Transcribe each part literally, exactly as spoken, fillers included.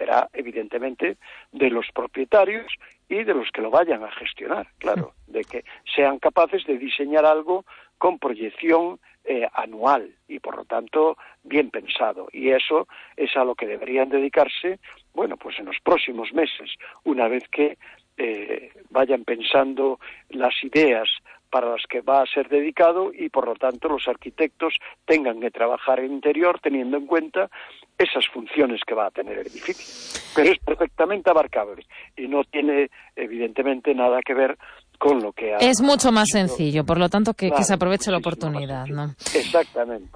dependerá evidentemente de los propietarios y de los que lo vayan a gestionar, claro, de que sean capaces de diseñar algo con proyección eh, anual y por lo tanto bien pensado, y eso es a lo que deberían dedicarse, bueno, pues en los próximos meses, una vez que eh, vayan pensando las ideas para las que va a ser dedicado y por lo tanto los arquitectos tengan que trabajar en interior teniendo en cuenta esas funciones que va a tener el edificio. Pero es perfectamente abarcable y no tiene evidentemente nada que ver con lo que ha... Es mucho más sido... sencillo, por lo tanto que, claro, que se aproveche la oportunidad, ¿no? Exactamente.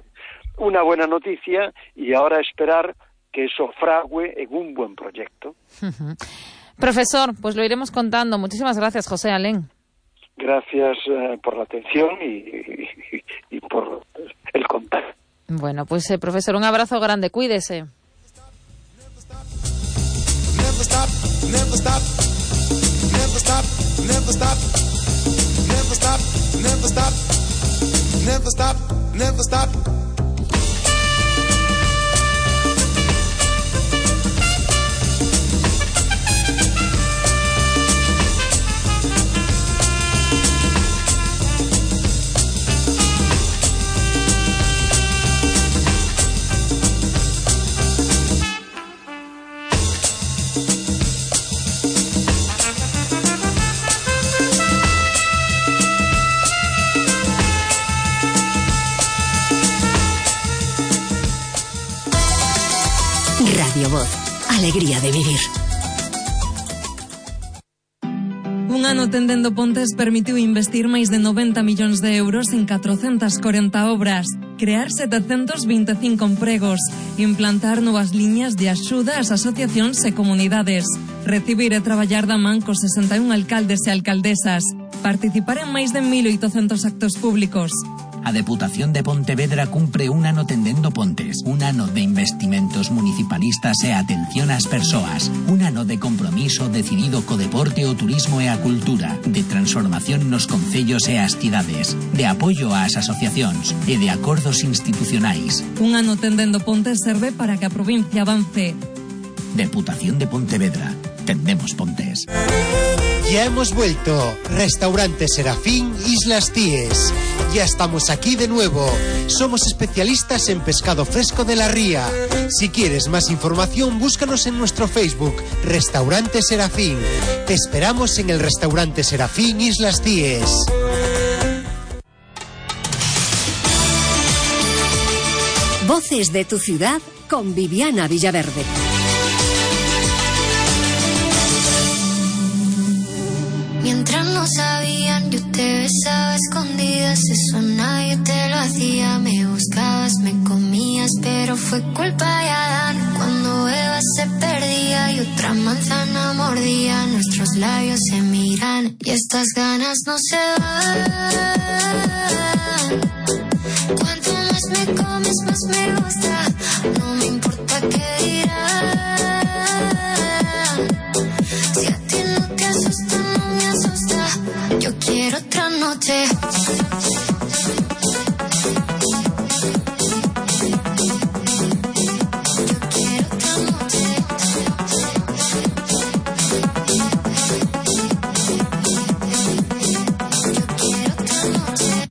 Una buena noticia y ahora esperar que eso frague en un buen proyecto. Uh-huh. Profesor, pues lo iremos contando. Muchísimas gracias, José Alén. Gracias eh, por la atención y, y, y por el contacto. Bueno, pues eh, profesor, un abrazo grande, cuídese. Never stop, never stop, never stop, never stop, never stop, never stop, never stop, never stop. Radio Voz, alegría de vivir. Un ano tendendo pontes permitiu investir máis de noventa millóns de euros en catrocentas corenta obras, crear setecentos vinte e cinco empregos, implantar novas liñas de axuda ás asociacións e comunidades, recibir e traballar da man cos sesenta e un alcaldes e alcaldesas, participar en máis de mil oitocentos actos públicos. A Deputación de Pontevedra cumpre un ano tendendo pontes, un ano de investimentos municipalistas e atención ás persoas, un ano de compromiso decidido co deporte, o turismo e a cultura, de transformación nos concellos e as cidades, de apoio ás asociacións e de acordos institucionais. Un ano tendendo pontes serve para que a provincia avance. Deputación de Pontevedra. Tendemos pontes. Ya hemos vuelto. Restaurante Serafín Islas Cíes. Ya estamos aquí de nuevo. Somos especialistas en pescado fresco de la ría. Si quieres más información, búscanos en nuestro Facebook, Restaurante Serafín. Te esperamos en el Restaurante Serafín Islas Cíes. Voces de tu ciudad con Viviana Villaverde. Mientras no sabían, yo te besaba a escondidas, eso nadie te lo hacía. Me buscabas, me comías, pero fue culpa de Adán. Cuando Eva se perdía y otra manzana mordía, nuestros labios se miran y estas ganas no se van. Cuanto más me comes, más me gusta, no me importa qué dirán. Si a ti no te asusta, no me asusta, yo quiero otra noche.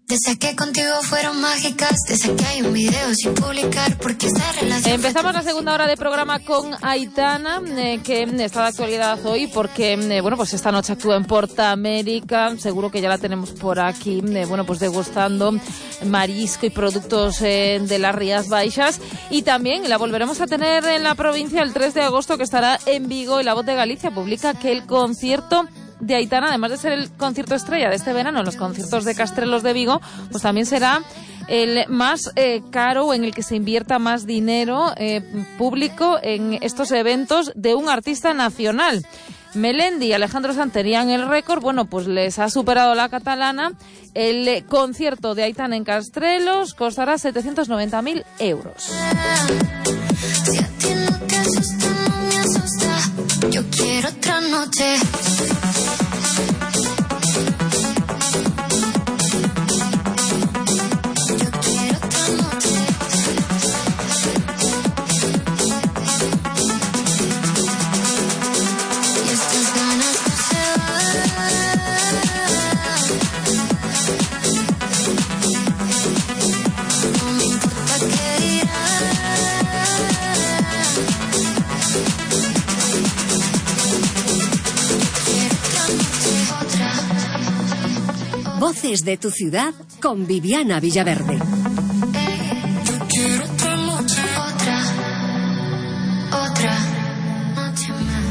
Desde que contigo fueron mágicas, desde que hay un video sin publicar, porque esta relación... Empezamos la segunda hora de programa con Aitana, eh, que está de actualidad hoy, porque, eh, bueno, pues esta noche actúa en Porta América, seguro que ya la tenemos por aquí, eh, bueno, pues degustando marisco y productos eh, de las Rías Baixas, y también la volveremos a tener en la provincia el tres de agosto, que estará en Vigo, y La Voz de Galicia publica que el concierto de Aitana, además de ser el concierto estrella de este verano en los conciertos de Castrelos de Vigo, pues también será el más eh, caro, en el que se invierta más dinero eh, público en estos eventos de un artista nacional. Melendi y Alejandro Santerían el récord, bueno, pues les ha superado la catalana. El eh, concierto de Aitana en Castrelos costará setecientos noventa mil euros. Si a ti no te asusta, no me asusta, yo quiero otra noche. Voces de tu ciudad con Viviana Villaverde. Yo quiero otra noche, otra, otra noche más.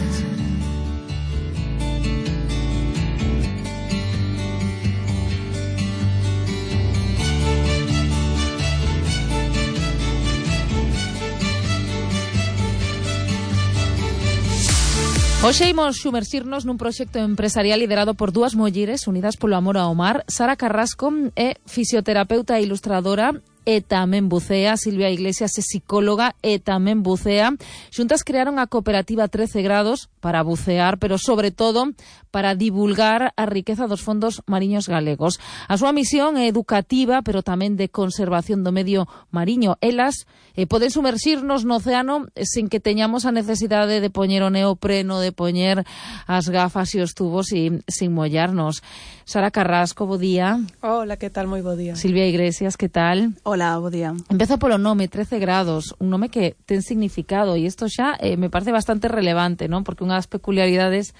Hoxe imos sumersirnos nun proxecto empresarial liderado por dúas mulleres unidas polo amor ao mar. Sara Carrasco é fisioterapeuta e ilustradora e tamén bucea. Silvia Iglesias é psicóloga e tamén bucea. Xuntas crearon a cooperativa trece grados para bucear, pero sobre todo para divulgar a riqueza dos fondos mariños galegos. A súa misión é educativa, pero tamén de conservación do medio mariño. Elas eh, poden sumersirnos no océano sin que teñamos a necesidade de poñer o neopreno, de poñer as gafas e os tubos e sin mollarnos. Sara Carrasco, bo día. Hola, que tal? Moi bo día. Silvia Iglesias, que tal? Hola, bo día. Empezo polo nome, trece grados, un nome que ten significado e isto xa eh, me parece bastante relevante, non? Porque unha das peculiaridades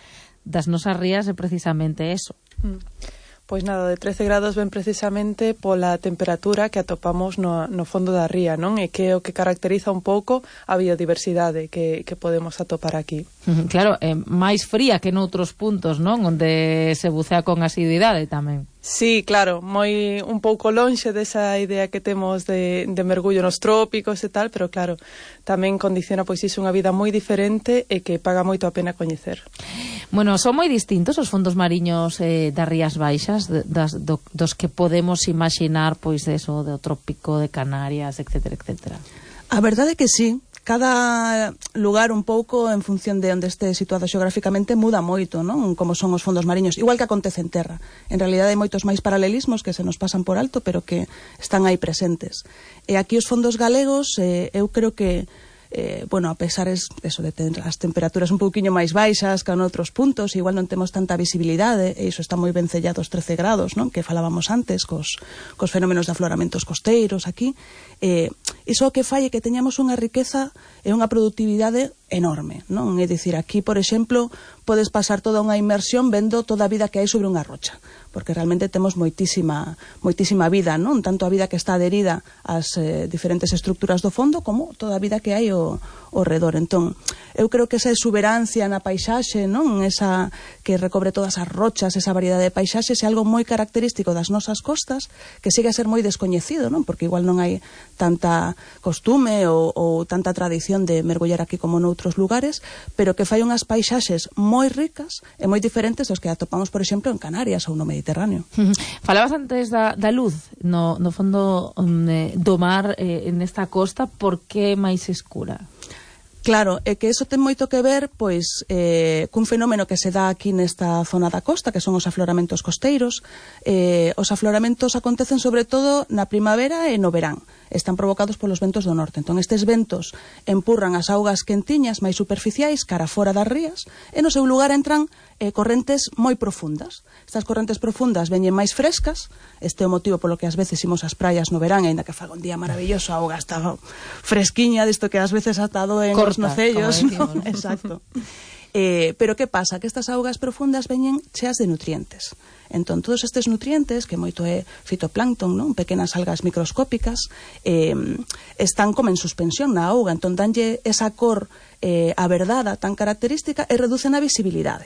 das nosas rías é precisamente eso. Mm. Pois nada, de trece grados ven precisamente pola temperatura que atopamos no, no fondo da ría, non? E que é o que caracteriza un pouco a biodiversidade que, que podemos atopar aquí. Claro, é máis fría que noutros puntos, non? Onde se bucea con asiduidade tamén. Sí, claro, moi un pouco lonxe desa idea que temos de, de mergullo nos trópicos e tal, pero claro, tamén condiciona pois iso unha vida moi diferente e que paga moito a pena coñecer. Bueno, son moi distintos os fondos mariños eh, das Rías Baixas, de, das, do, dos que podemos imaginar, pois, eso, do trópico de Canarias, etcétera, etcétera. A verdade é que sí. Cada lugar un pouco en función de onde este situado xeográficamente muda moito, non? Como son os fondos mariños, igual que acontece en terra. En realidade hai moitos máis paralelismos que se nos pasan por alto, pero que están aí presentes. E aquí os fondos galegos, eh, eu creo que Eh, bueno, a pesar es, eso de ter as temperaturas un pouquiño máis baixas que en outros puntos, igual non temos tanta visibilidade, e iso está moi ben sellado os trece grados, non? Que falábamos antes cos, cos fenómenos de afloramentos costeiros aquí. Eh, iso que fai é que teñamos unha riqueza e unha productividade enorme, non? É dicir, aquí, por exemplo, podes pasar toda unha inmersión vendo toda a vida que hai sobre unha rocha, porque realmente temos moitísima moitísima vida, non? Tanto a vida que está adherida ás eh, diferentes estructuras do fondo como toda a vida que hai ao, ao redor. Entón, eu creo que esa exuberancia na paisaxe, non? Esa que recobre todas as rochas, esa variedade de paisaxes é algo moi característico das nosas costas, que sigue a ser moi descoñecido, non? Porque igual non hai tanta costume ou, ou tanta tradición de mergullar aquí como noutros lugares, pero que fai unhas paisaxes moi ricas e moi diferentes dos que atopamos, por exemplo, en Canarias ou no Mediterráneo. Falabas antes da, da luz no, no fondo um, do mar eh, nesta costa, por que máis escura? Claro, é que iso ten moito que ver pois eh, cun fenómeno que se dá aquí nesta zona da costa, que son os afloramentos costeiros. Eh, os afloramentos acontecen sobre todo na primavera e no verán. Están provocados polos ventos do norte. Entón, estes ventos empurran as augas quentiñas máis superficiais cara fora das rías e no seu lugar entran eh, correntes moi profundas. Estas correntes profundas veñen máis frescas. Este é o motivo polo que ás veces imos ás praias no verán, aínda que faga un día maravilloso, a auga está fresquiña, disto que ás veces atado en os nocellos, ¿no? Exacto. Eh, pero que pasa? Que estas augas profundas veñen cheas de nutrientes. Entón, todos estes nutrientes, que moito é fitoplancton, non? Pequenas algas microscópicas, eh, están como en suspensión na auga. Entón, danlle esa cor eh, averdada tan característica e reducen a visibilidade,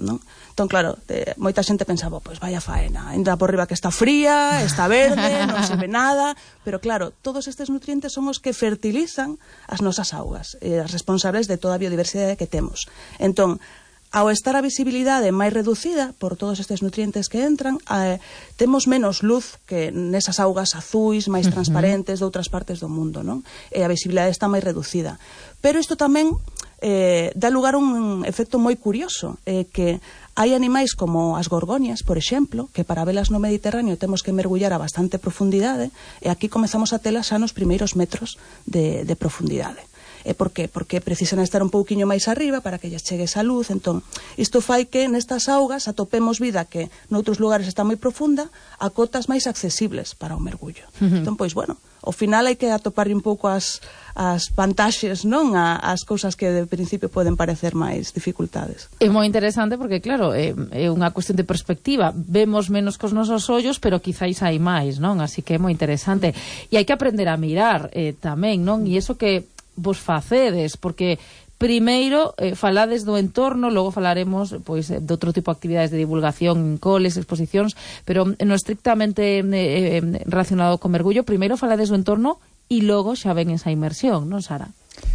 non? Entón, claro, eh, moita xente pensaba, pois vaya faena, ainda por riba que está fría, está verde, non se ve nada, pero claro, todos estes nutrientes son os que fertilizan as nosas augas, eh, as responsables de toda a biodiversidade que temos. Entón, ao estar a visibilidade máis reducida por todos estes nutrientes que entran, eh, temos menos luz que nesas augas azuis, máis transparentes de outras partes do mundo, non? E a visibilidade está máis reducida. Pero isto tamén eh, dá lugar a un efecto moi curioso, eh, que hai animais como as gorgonias, por exemplo, que para velas no Mediterráneo temos que mergullar a bastante profundidade, e aquí comezamos a telas xa nos primeiros metros de, de profundidade. E por qué? Porque precisan estar un pouquiño máis arriba para que lles chegue esa luz. Entón, isto fai que nestas augas atopemos vida que noutros lugares está moi profunda a cotas máis accesibles para o mergullo. Uh-huh. Entón, pois, bueno, ao final hai que atoparlle un pouco as, as vantaxes, non? A, as cousas que de principio poden parecer máis dificultades. É moi interesante porque, claro, é, é unha cuestión de perspectiva. Vemos menos cos nosos ollos, pero quizáis hai máis, non? Así que é moi interesante. E hai que aprender a mirar eh, tamén, non? E iso que vos facedes, porque primeiro eh, falades do entorno, logo falaremos pois de outro tipo de actividades de divulgación, coles, exposicións, pero no estrictamente eh, relacionado co mergullo, primeiro falades do entorno e logo xa ven esa inmersión, non, Sara?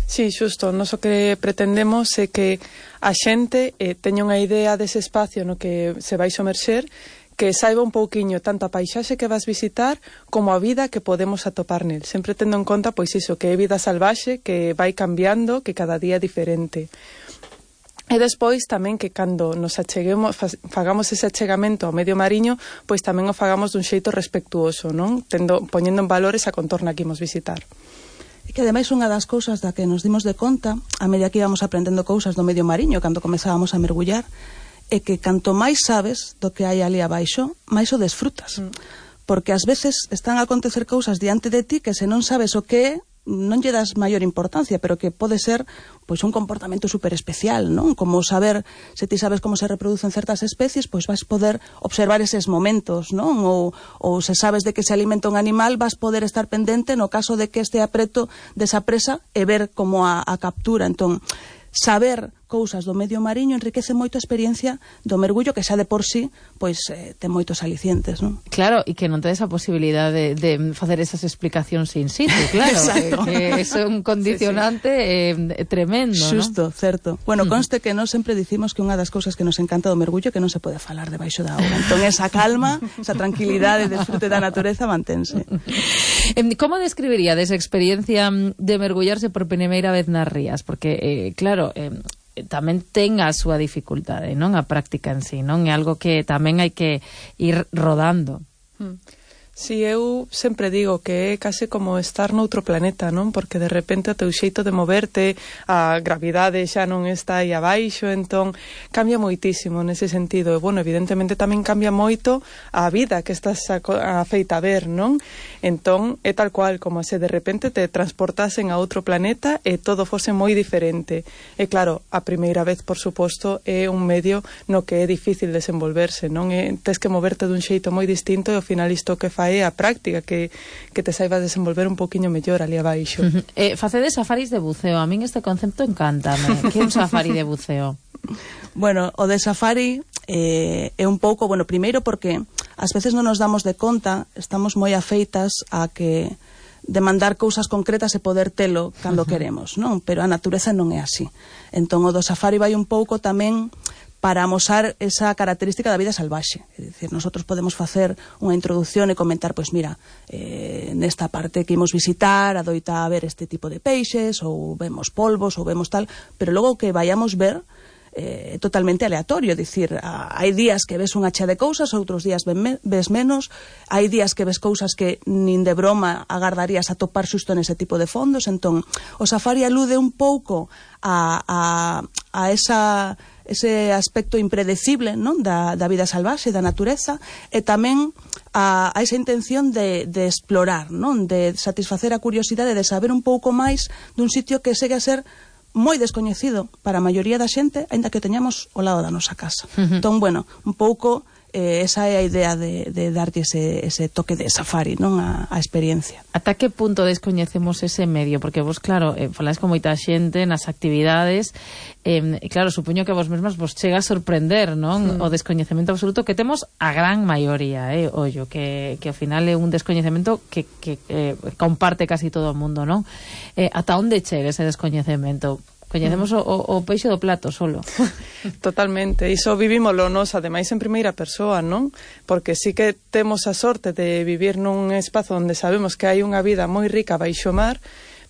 Sí, xusto, nos o que pretendemos é que a xente eh, teña unha idea dese espacio no que se vai somerxer, que saiba un pouquiño tanto a paisaxe que vas visitar como a vida que podemos atopar nel. Sempre tendo en conta, pois iso, que é vida salvaxe, que vai cambiando, que cada día é diferente. E despois tamén que cando nos acheguemos, fagamos ese achegamento ao medio mariño, pois tamén o fagamos dun xeito respectuoso, non? Tendo, poñendo en valor esa contorna que imos visitar. E que ademais unha das cousas da que nos dimos de conta a medida que íbamos aprendendo cousas do medio mariño cando comezábamos a mergullar é que canto máis sabes do que hai ali abaixo, máis o desfrutas. Mm. Porque ás veces están a acontecer cousas diante de ti que se non sabes o que é, non lle das maior importancia, pero que pode ser pois un comportamento super especial, non? Como saber, se ti sabes como se reproducen certas especies, pois vas poder observar eses momentos, non? Ou, ou se sabes de que se alimenta un animal, vas poder estar pendente no caso de que este apreto desa presa e ver como a, a captura. Entón, saber cousas do medio mariño enriquece moito a experiencia do mergullo, que xa de por sí pois eh, ten moitos alicientes, non? Claro, e que non tedes a posibilidade de, de facer esas explicacións in situ, claro. Que, que é un condicionante sí, sí. Eh, tremendo, xusto, ¿no? Certo. Bueno, conste que nós sempre dicimos que unha das cousas que nos encanta do mergullo é que non se pode falar debaixo da auga. Entón, esa calma, esa tranquilidade, desfrute da natureza mantense. Como describiríades a experiencia de mergullarse por primeira vez nas rías? Porque, eh, claro, eh, tamén ten a súa dificultade, non? A práctica en sí, non? É algo que tamén hai que ir rodando. Mm. Si, eu sempre digo que é case como estar noutro planeta, non? Porque de repente o teu xeito de moverte, a gravidade xa non está aí abaixo, entón cambia moitísimo nese sentido. E, bueno, evidentemente tamén cambia moito a vida que estás a, a feita a ver, non? Entón, é tal cual, como se de repente te transportasen a outro planeta e todo fose moi diferente. E claro, a primeira vez, por suposto, é un medio no que é difícil desenvolverse, non? E tes que moverte dun xeito moi distinto e ao final isto que fai é a práctica, que, que te saibas desenvolver un poquinho mellor ali abaixo. Uh-huh. eh, facedes safaris de buceo, a min este concepto encántame. Que é un safari de buceo? Bueno, o de safari eh, é un pouco, bueno, primeiro porque ás veces non nos damos de conta, estamos moi afeitas a que demandar cousas concretas e poder telo cando uh-huh. queremos, non? Pero a natureza non é así. Entón o do safari vai un pouco tamén para amosar esa característica da vida salvaxe. É dicir, nosotros podemos facer unha introducción e comentar, pois mira, eh, nesta parte que imos visitar, adoita a ver este tipo de peixes, ou vemos polvos, ou vemos tal, pero logo que vayamos ver é eh, totalmente aleatorio, é dicir, a, hai días que ves unha chea de cousas, outros días ven me, ves menos, hai días que ves cousas que nin de broma agardarías a topar xusto nese tipo de fondos. Entón, o safari alude un pouco a, a, a esa ese aspecto impredecible, non? Da, da vida salvaxe, da natureza, e tamén a, a esa intención de, de explorar, non? De satisfacer a curiosidade de saber un pouco máis dun sitio que segue a ser moi descoñecido para a maioría da xente, aínda que teñamos ao lado da nosa casa. Uh-huh. Entón, bueno, un pouco eh, esa é a idea de, de darlle ese, ese toque de safari, non? A, a experiencia. Ata que punto descoñecemos ese medio? Porque vos, claro, eh, falais con moita xente nas actividades, eh, e claro, supoño que vos mesmas vos chega a sorprender, non? Mm. O descoñecemento absoluto que temos a gran maioría, eh, ollo, que, que ao final é un descoñecemento que, que eh, comparte casi todo o mundo, non? Eh, ata onde chega ese descoñecemento? Coñecemos o, o, o peixe do plato solo. Totalmente, iso vivímoslo nos, ademais en primeira persoa, non? Porque sí que temos a sorte de vivir nun espazo onde sabemos que hai unha vida moi rica baixo mar,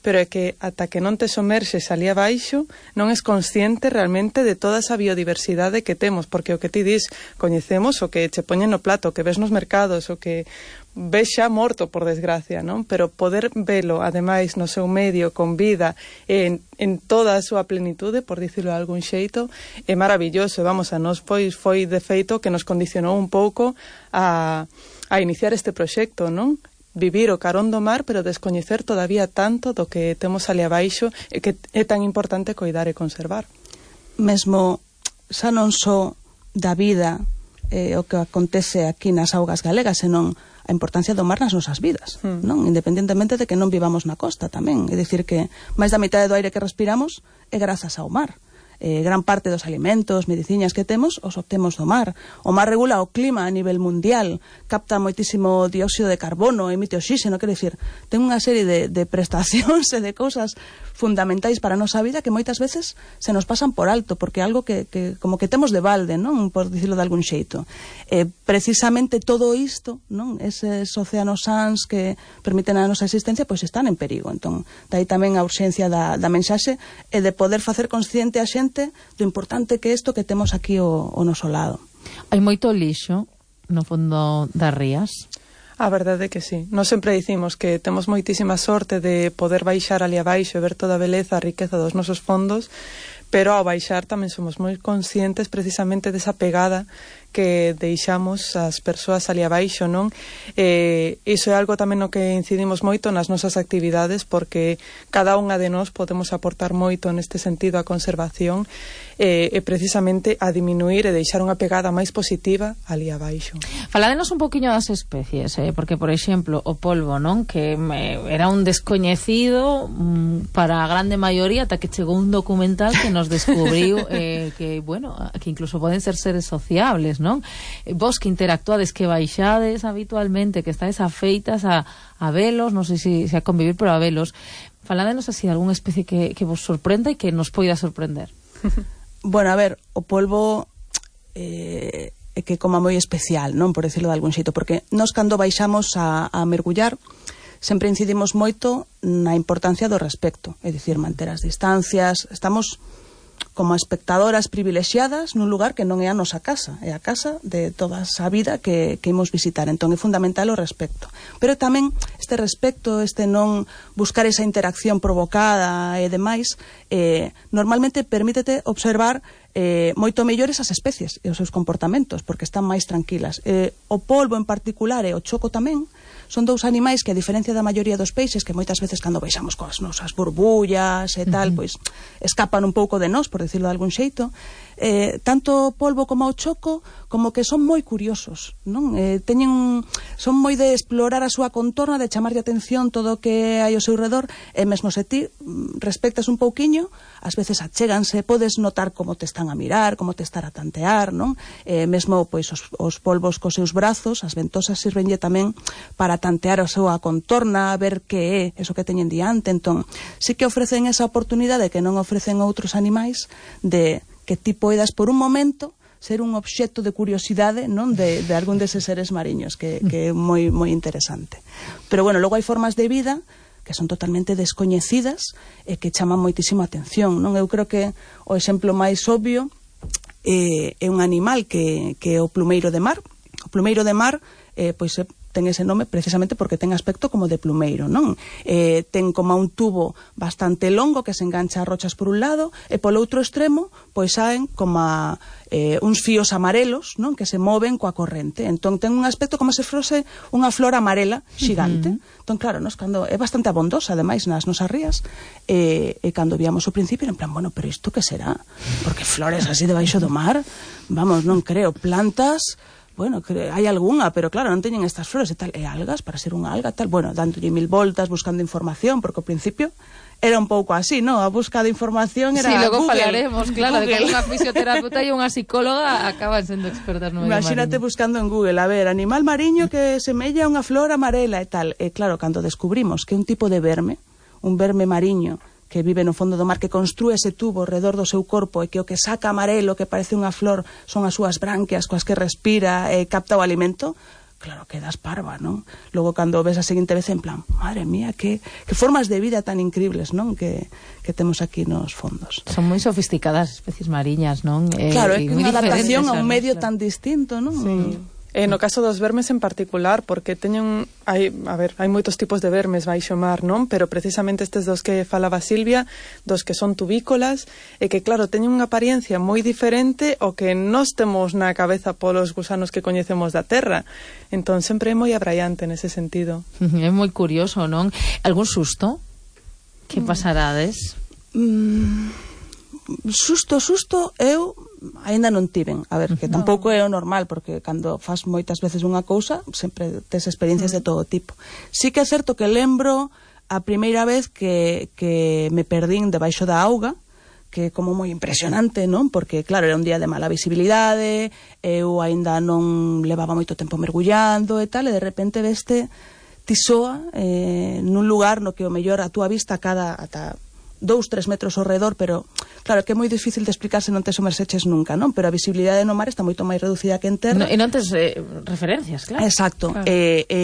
pero é que ata que non te somerxes ali abaixo non és consciente realmente de toda esa biodiversidade que temos, porque o que ti dis, coñecemos o que che poñen no plato, o que ves nos mercados, o que ves xa morto, por desgracia, non? Pero poder velo, ademais, no seu medio, con vida, en, en toda a súa plenitude, por dicirlo de algún xeito, é maravilloso. Vamos, a nós pois foi de feito que nos condicionou un pouco a, a iniciar este proxecto, non? Vivir o carón do mar, pero descoñecer todavía tanto do que temos ali abaixo e que é tan importante coidar e conservar. Mesmo xa non só da vida eh, o que acontece aquí nas augas galegas, senón a importancia do mar nas nosas vidas, mm. non? Independentemente de que non vivamos na costa tamén. É dicir que máis da mitad do aire que respiramos é grazas ao mar. Eh, gran parte dos alimentos, mediciñas que temos, os obtemos do mar. O mar regula o clima a nivel mundial, capta moitísimo dióxido de carbono, emite oxígeno, quero dicir, ten unha serie de, de prestacións e de cousas fundamentais para a nosa vida que moitas veces se nos pasan por alto, porque é algo que, que como que temos de balde, non? Por dicirlo de algún xeito. Eh, precisamente todo isto, non? Eses océanos sans que permiten a nosa existencia, pois están en perigo. Entón, dai tamén a urxencia da, da mensaxe e de poder facer consciente a xente do importante que é isto que temos aquí o, o noso lado. Hai moito lixo no fondo das rías? A verdade é que sí. Nós sempre dicimos que temos moitísima sorte de poder baixar ali abaixo e ver toda a beleza, a riqueza dos nosos fondos, pero ao baixar tamén somos moi conscientes precisamente desa pegada que deixamos as persoas ali abaixo, non? Eh, iso é algo tamén no que incidimos moito nas nosas actividades, porque cada unha de nós podemos aportar moito neste sentido a conservación e, e precisamente a diminuir e deixar unha pegada máis positiva ali abaixo. Faládenos un poquinho das especies, eh? Porque, por exemplo, o polvo, non? Que me, era un descoñecido mm, para a grande maioría, ata que chegou un documental que nos descubriu eh, que, bueno, que incluso poden ser seres sociables, non? Vos que interactuades, que baixades habitualmente, que estáis afeitas a, a velos, non sei se, se a convivir, pero a velos, faládenos así de algunha especie que, que vos sorprenda e que nos poida sorprender. Bueno, a ver, o polvo eh, é que como moi especial, non? Por decirlo de algún xeito, porque nós cando baixamos a, a mergullar sempre incidimos moito na importancia do respecto, é dicir, manter as distancias, estamos como espectadoras privilexiadas nun lugar que non é a nosa casa, é a casa de toda esa vida que, que imos visitar. Entón é fundamental o respecto. Pero tamén este respecto, este non buscar esa interacción provocada e demais, eh, normalmente permítete observar eh, moito mellores as especies e os seus comportamentos, porque están máis tranquilas. Eh, o polvo en particular e o choco tamén son dous animais que, a diferencia da maioría dos peixes, que moitas veces cando baixamos coas nosas burbullas e tal, uh-huh. pois escapan un pouco de nós, por decirlo de algún xeito, eh, tanto o polvo como o choco como que son moi curiosos, non? Eh, teñen, son moi de explorar a súa contorna, de chamar de atención todo o que hai ao seu redor, e mesmo se ti respectas un pouquiño, ás veces achéganse, podes notar como te están a mirar, como te están a tantear, non? Eh, mesmo pois os, os polvos cos seus brazos, as ventosas sirvenlle tamén para tantear a súa contorna, a ver que é eso que teñen diante. Entón, sí que ofrecen esa oportunidade que non ofrecen outros animais de que ti poidas por un momento ser un obxecto de curiosidade, non, de, de algún deses seres mariños, que, que é moi moi interesante. Pero bueno, logo hai formas de vida que son totalmente descoñecidas e que chaman moitísimo a atención, non? Eu creo que o exemplo máis obvio eh, é un animal que, que é o plumeiro de mar. O plumeiro de mar eh, pois é ten ese nome precisamente porque ten aspecto como de plumeiro, non? Eh, ten como un tubo bastante longo que se engancha a rochas por un lado e polo outro extremo pois saen como a, eh, uns fíos amarelos, non? Que se moven coa corrente. Entón ten un aspecto como se fose unha flor amarela xigante. Uh-huh. Entón claro, nos cando é bastante abondosa ademais nas nosas rías, e, e cando víamos o principio en plan, bueno, pero isto que será? Porque flores así debaixo do mar, vamos, non creo, plantas. Bueno, hai algunha, pero claro, non teñen estas flores e tal, e algas, para ser unha alga, tal, bueno, dándolle mil voltas, buscando información, porque ao principio era un pouco así, ¿no? A busca de información era Google. Sí, logo Google. falaremos, claro, Google. de que unha fisioterapeuta e unha psicóloga acaban sendo expertas no medio Imagínate mariño. buscando en Google, a ver, animal mariño que semella unha flor amarela e tal. E claro, cando descubrimos que un tipo de verme, un verme mariño, que vive no fondo do mar, que construe ese tubo alrededor do seu corpo e que o que saca amarelo, que parece unha flor, son as súas branquias coas que respira e capta o alimento, claro, quedas parva, non? Logo, cando ves a seguinte vez, en plan, madre mía, que, que formas de vida tan increíbles, non? Que, que temos aquí nos fondos. Son moi sofisticadas especies mariñas, non? Eh, claro, é que unha adaptación a un medio claro. tan distinto, non? Sí. E no caso dos vermes en particular, porque teñen, hai, a ver, hai moitos tipos de vermes baixo mar, non? Pero precisamente estes dos que falaba Silvia, dos que son tubícolas, e que claro, teñen unha apariencia moi diferente ao que nós temos na cabeza polos gusanos que coñecemos da terra. Entón sempre é moi abraiante nese sentido. É moi curioso, non? Algún susto? Que pasarades? Mm, susto, susto, eu aínda non tiven. A ver, que tampouco é o normal, porque cando fas moitas veces unha cousa, sempre tes experiencias de todo tipo. Sí que é certo que lembro a primeira vez que, que me perdín debaixo da auga, que é como moi impresionante, non? Porque, claro, era un día de mala visibilidade, eu aínda non levaba moito tempo mergullando e tal, e de repente veste tisoa eh, nun lugar no que o mellor a túa vista cada ata dous, tres metros ao redor, pero claro, que é moi difícil de explicar se non te somerseches nunca, non? Pero a visibilidade no mar está moito máis reducida que en terra. No, e non tes eh, referencias, claro. Exacto. Claro. E, e,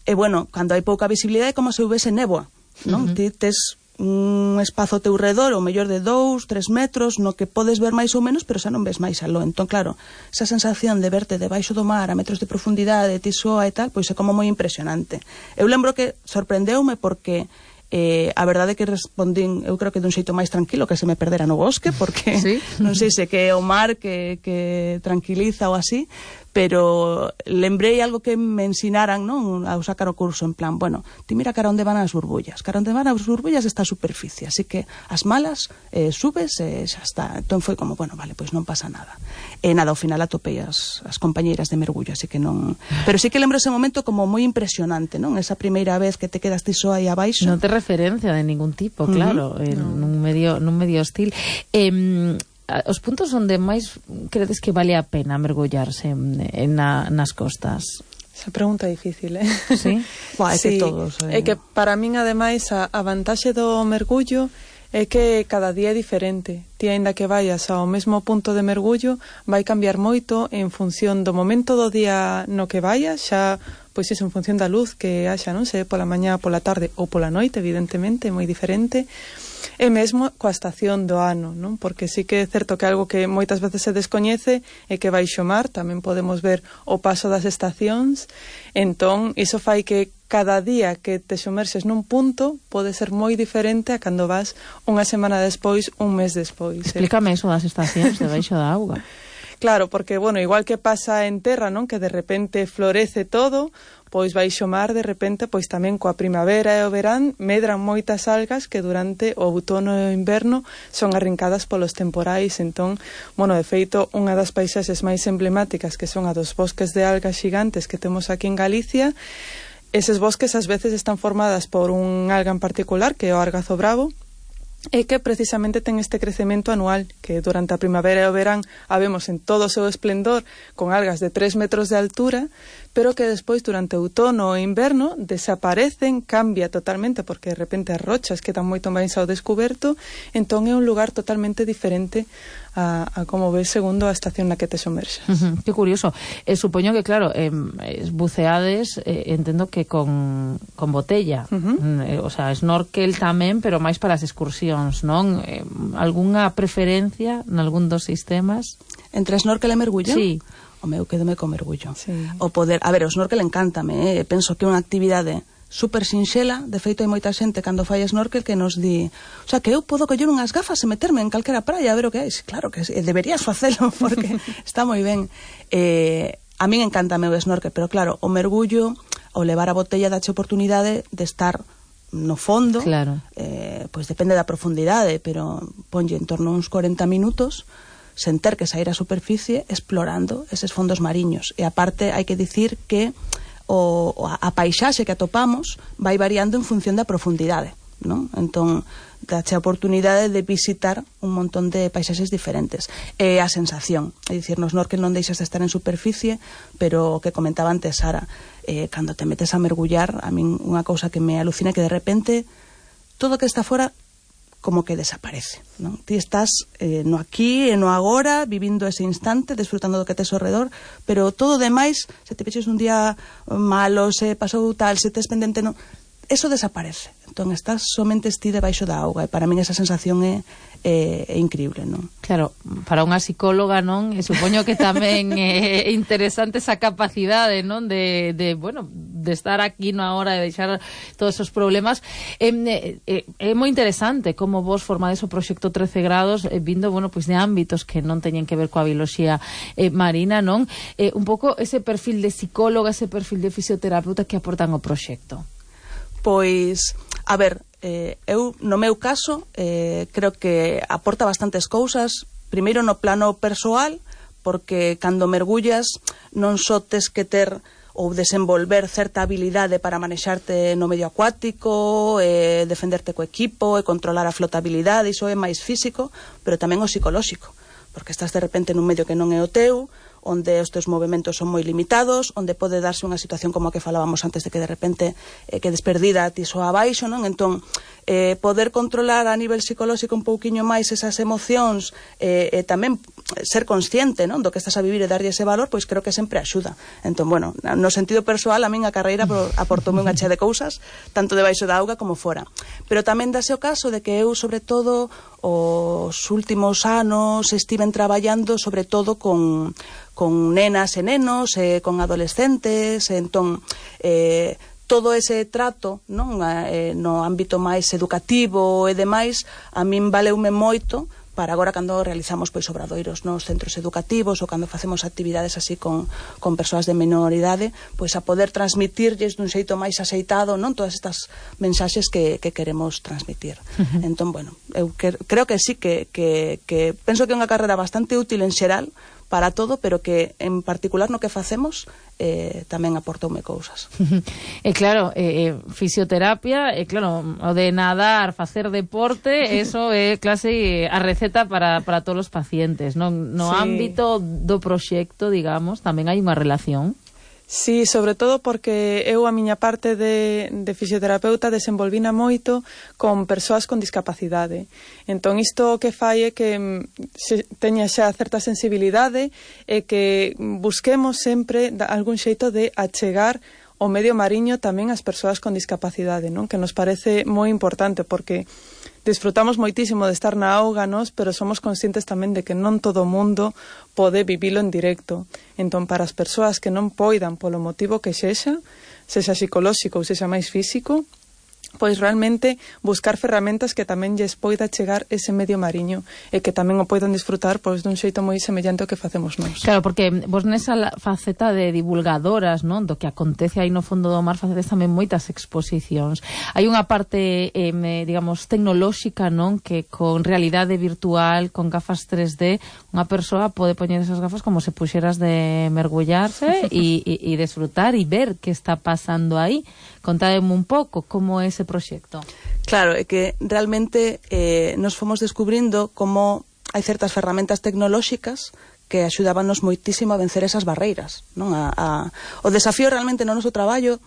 e, bueno, cando hai pouca visibilidade é como se houvese néboa, non? Uh -huh. Ti tes un espazo ao teu redor, o mellor de dous, tres metros, no que podes ver máis ou menos, pero xa non ves máis aló. Entón, claro, esa sensación de verte debaixo do mar a metros de profundidade, ti soa e tal, pois é como moi impresionante. Eu lembro que sorprendeume porque Eh, a verdade é que respondín, eu creo que dun xeito máis tranquilo que se me perdera no bosque, porque ¿sí? Non sei se que é o mar que, que tranquiliza ou así, pero lembrei algo que me ensinaran, non, ao sacar o curso, en plan, bueno, ti mira cara onde van as burbullas, cara onde van as burbullas está a superficie, así que as malas eh, subes e xa está. Entón foi como, bueno, vale, pois non pasa nada. E nada, ao final atopei as, as compañeiras de mergullo, así que non... Pero sí que lembro ese momento como moi impresionante, non? Esa primeira vez que te quedas ti só aí abaixo. Non te referencia de ningún tipo, claro, uh -huh. en no. nun medio nun medio hostil. Eh, os puntos onde máis credes que vale a pena mergullarse en, en na, nas costas? Esa pregunta é difícil, eh? Sí? Bah, é sí. que todos... Eh... É que para min, ademais, a, a vantaxe do mergullo é que cada día é diferente. Ti, aínda que vayas ao mesmo punto de mergullo, vai cambiar moito en función do momento do día no que vayas, xa, pois iso, en función da luz que haxa, non sei, pola mañá, pola tarde ou pola noite, evidentemente, é moi diferente. E mesmo coa estación do ano, non? Porque sí que é certo que algo que moitas veces se descoñece é que baixo mar tamén podemos ver o paso das estacións. Entón, iso fai que cada día que te somerses nun punto pode ser moi diferente a cando vas unha semana despois, un mes despois. Explícame eh? eso das estacións de baixo da auga. Claro, porque, bueno, igual que pasa en terra, non? Que de repente florece todo, pois baixo mar, de repente, pois tamén coa primavera e o verán medran moitas algas que durante o outono e o inverno son arrincadas polos temporais. Entón, bueno, de feito, unha das paisaxes máis emblemáticas, que son a dos bosques de algas xigantes que temos aquí en Galicia, eses bosques ás veces están formadas por un alga en particular, que é o argazo bravo, e que precisamente ten este crecemento anual, que durante a primavera e o verán a vemos en todo o seu esplendor con algas de tres metros de altura, pero que despois durante o outono e inverno desaparecen, cambia totalmente, porque de repente as rochas quedan moito máis ao descoberto. Entón é un lugar totalmente diferente a, a como ves segundo a estación na que te somerxas. Uh -huh, que curioso. Eh, supoño que, claro, eh, buceades, eh, entendo que con, con botella, uh -huh. eh, o sea, snorkel tamén, pero máis para as excursións, non? Eh, algunha preferencia nalgún dos sistemas? Entre snorkel e mergullo? Sí. O meu quedome co mergullo. Sí. O poder, a ver, o snorkel encántame, eh? Penso que é unha actividade super sinxela. De feito, hai moita xente cando fai snorkel que nos di, o sea, que eu podo coller unhas gafas e meterme en calquera praia a ver o que hai. Claro que deberías facelo, porque está moi ben. Eh, a min encántame o snorkel, pero claro, o mergullo, o levar a botella dache oportunidade de estar no fondo. Claro. Eh, pois depende da profundidade, pero ponlle en torno a uns cuarenta minutos sen ter que sair á superficie explorando eses fondos mariños. E aparte hai que dicir que o, a paisaxe que atopamos vai variando en función da profundidade, non? Entón, dache a oportunidade de visitar un montón de paisaxes diferentes. E a sensación, é dicir, no snorkel non deixas de estar en superficie, pero o que comentaba antes Sara, eh, cando te metes a mergullar, a min unha cousa que me alucina é que de repente todo que está fora como que desaparece, non? Ti estás eh, no aquí e no agora, vivindo ese instante, desfrutando do que tes ao redor, pero todo demais, se te peches un día malo, se pasou tal, se tes pendente, non, eso desaparece. Entón estás somente ti debaixo da auga, e para min esa sensación é É, é increíble, non? Claro, para unha psicóloga, non? E supoño que tamén é interesante esa capacidade, non? De, de bueno, de estar aquí na hora de deixar todos esos problemas. É, é, é moi interesante como vos formades o proxecto trece grados eh, vindo, bueno, pois de ámbitos que non teñen que ver coa bioloxía eh, marina, non? Eh, un pouco ese perfil de psicóloga, ese perfil de fisioterapeuta que aportan ao proxecto. Pois, a ver, eh, eu, no meu caso, eh, creo que aporta bastantes cousas. Primeiro no plano persoal, porque cando mergullas non só tes que ter ou desenvolver certa habilidade para manexarte no medio acuático, eh, defenderte co equipo e controlar a flotabilidade, iso é máis físico, pero tamén o psicolóxico, porque estás de repente nun medio que non é o teu, onde os teus movimentos son moi limitados, onde pode darse unha situación como a que falábamos antes de que de repente eh, quedes perdida ti só abaixo, non? Entón, eh, poder controlar a nivel psicolóxico un pouquiño máis esas emocións e eh, eh, tamén ser consciente, non? Do que estás a vivir e darlle ese valor, pois creo que sempre axuda. Entón, bueno, no sentido persoal, a min a carreira aportoume unha chea de cousas, tanto debaixo da auga como fora. Pero tamén dase o caso de que eu, sobre todo, os últimos anos estiven traballando sobre todo con con nenas e nenos, eh, con adolescentes, entón eh, todo ese trato, non, eh, no ámbito máis educativo e demais, a min valeume moito para agora cando realizamos pois obradoiros nos centros educativos ou cando facemos actividades así con, con persoas de menor idade, pois a poder transmitirlles dun xeito máis aceitado, non, todas estas mensaxes que, que queremos transmitir. Uh-huh. Entón, bueno, eu que, creo que sí que, que, que penso que é unha carreira bastante útil en xeral para todo, pero que en particular no que facemos eh, tamén aportoume cousas. E claro, eh, fisioterapia, e claro, o de nadar, facer deporte, eso é clase a receta para, para todos os pacientes, non? No sí. Ámbito do proxecto, digamos, tamén hai unha relación. Sí, sobre todo porque eu a miña parte de, de fisioterapeuta desenvolvina moito con persoas con discapacidade. Entón isto que fai é que se teña xa certa sensibilidade e que busquemos sempre algún xeito de achegar o medio mariño tamén ás persoas con discapacidade, non? Que nos parece moi importante porque disfrutamos moitísimo de estar na auga, nos, pero somos conscientes tamén de que non todo o mundo pode vivilo en directo. Entón, para as persoas que non poidan polo motivo que sexa, sexa psicolóxico ou sexa máis físico, pois realmente buscar ferramentas que tamén lles poida chegar ese medio mariño e que tamén o poidan disfrutar pois dun xeito moi semellante ao que facemos nós. Claro, porque vos nesa faceta de divulgadoras, non, do que acontece aí no fondo do mar, facedes tamén moitas exposicións. Hai unha parte, eh, digamos, tecnolóxica, non, que con realidade virtual, con gafas tres D, unha persoa pode poñer esas gafas como se puxeras de mergullarse e, e, e disfrutar e ver que está pasando aí. Contádeme un pouco como é ese proxecto. Claro, é que realmente eh, nos fomos descubrindo como hai certas ferramentas tecnolóxicas que axudábanos moitísimo a vencer esas barreiras, non? A, a, o desafío realmente no noso traballo,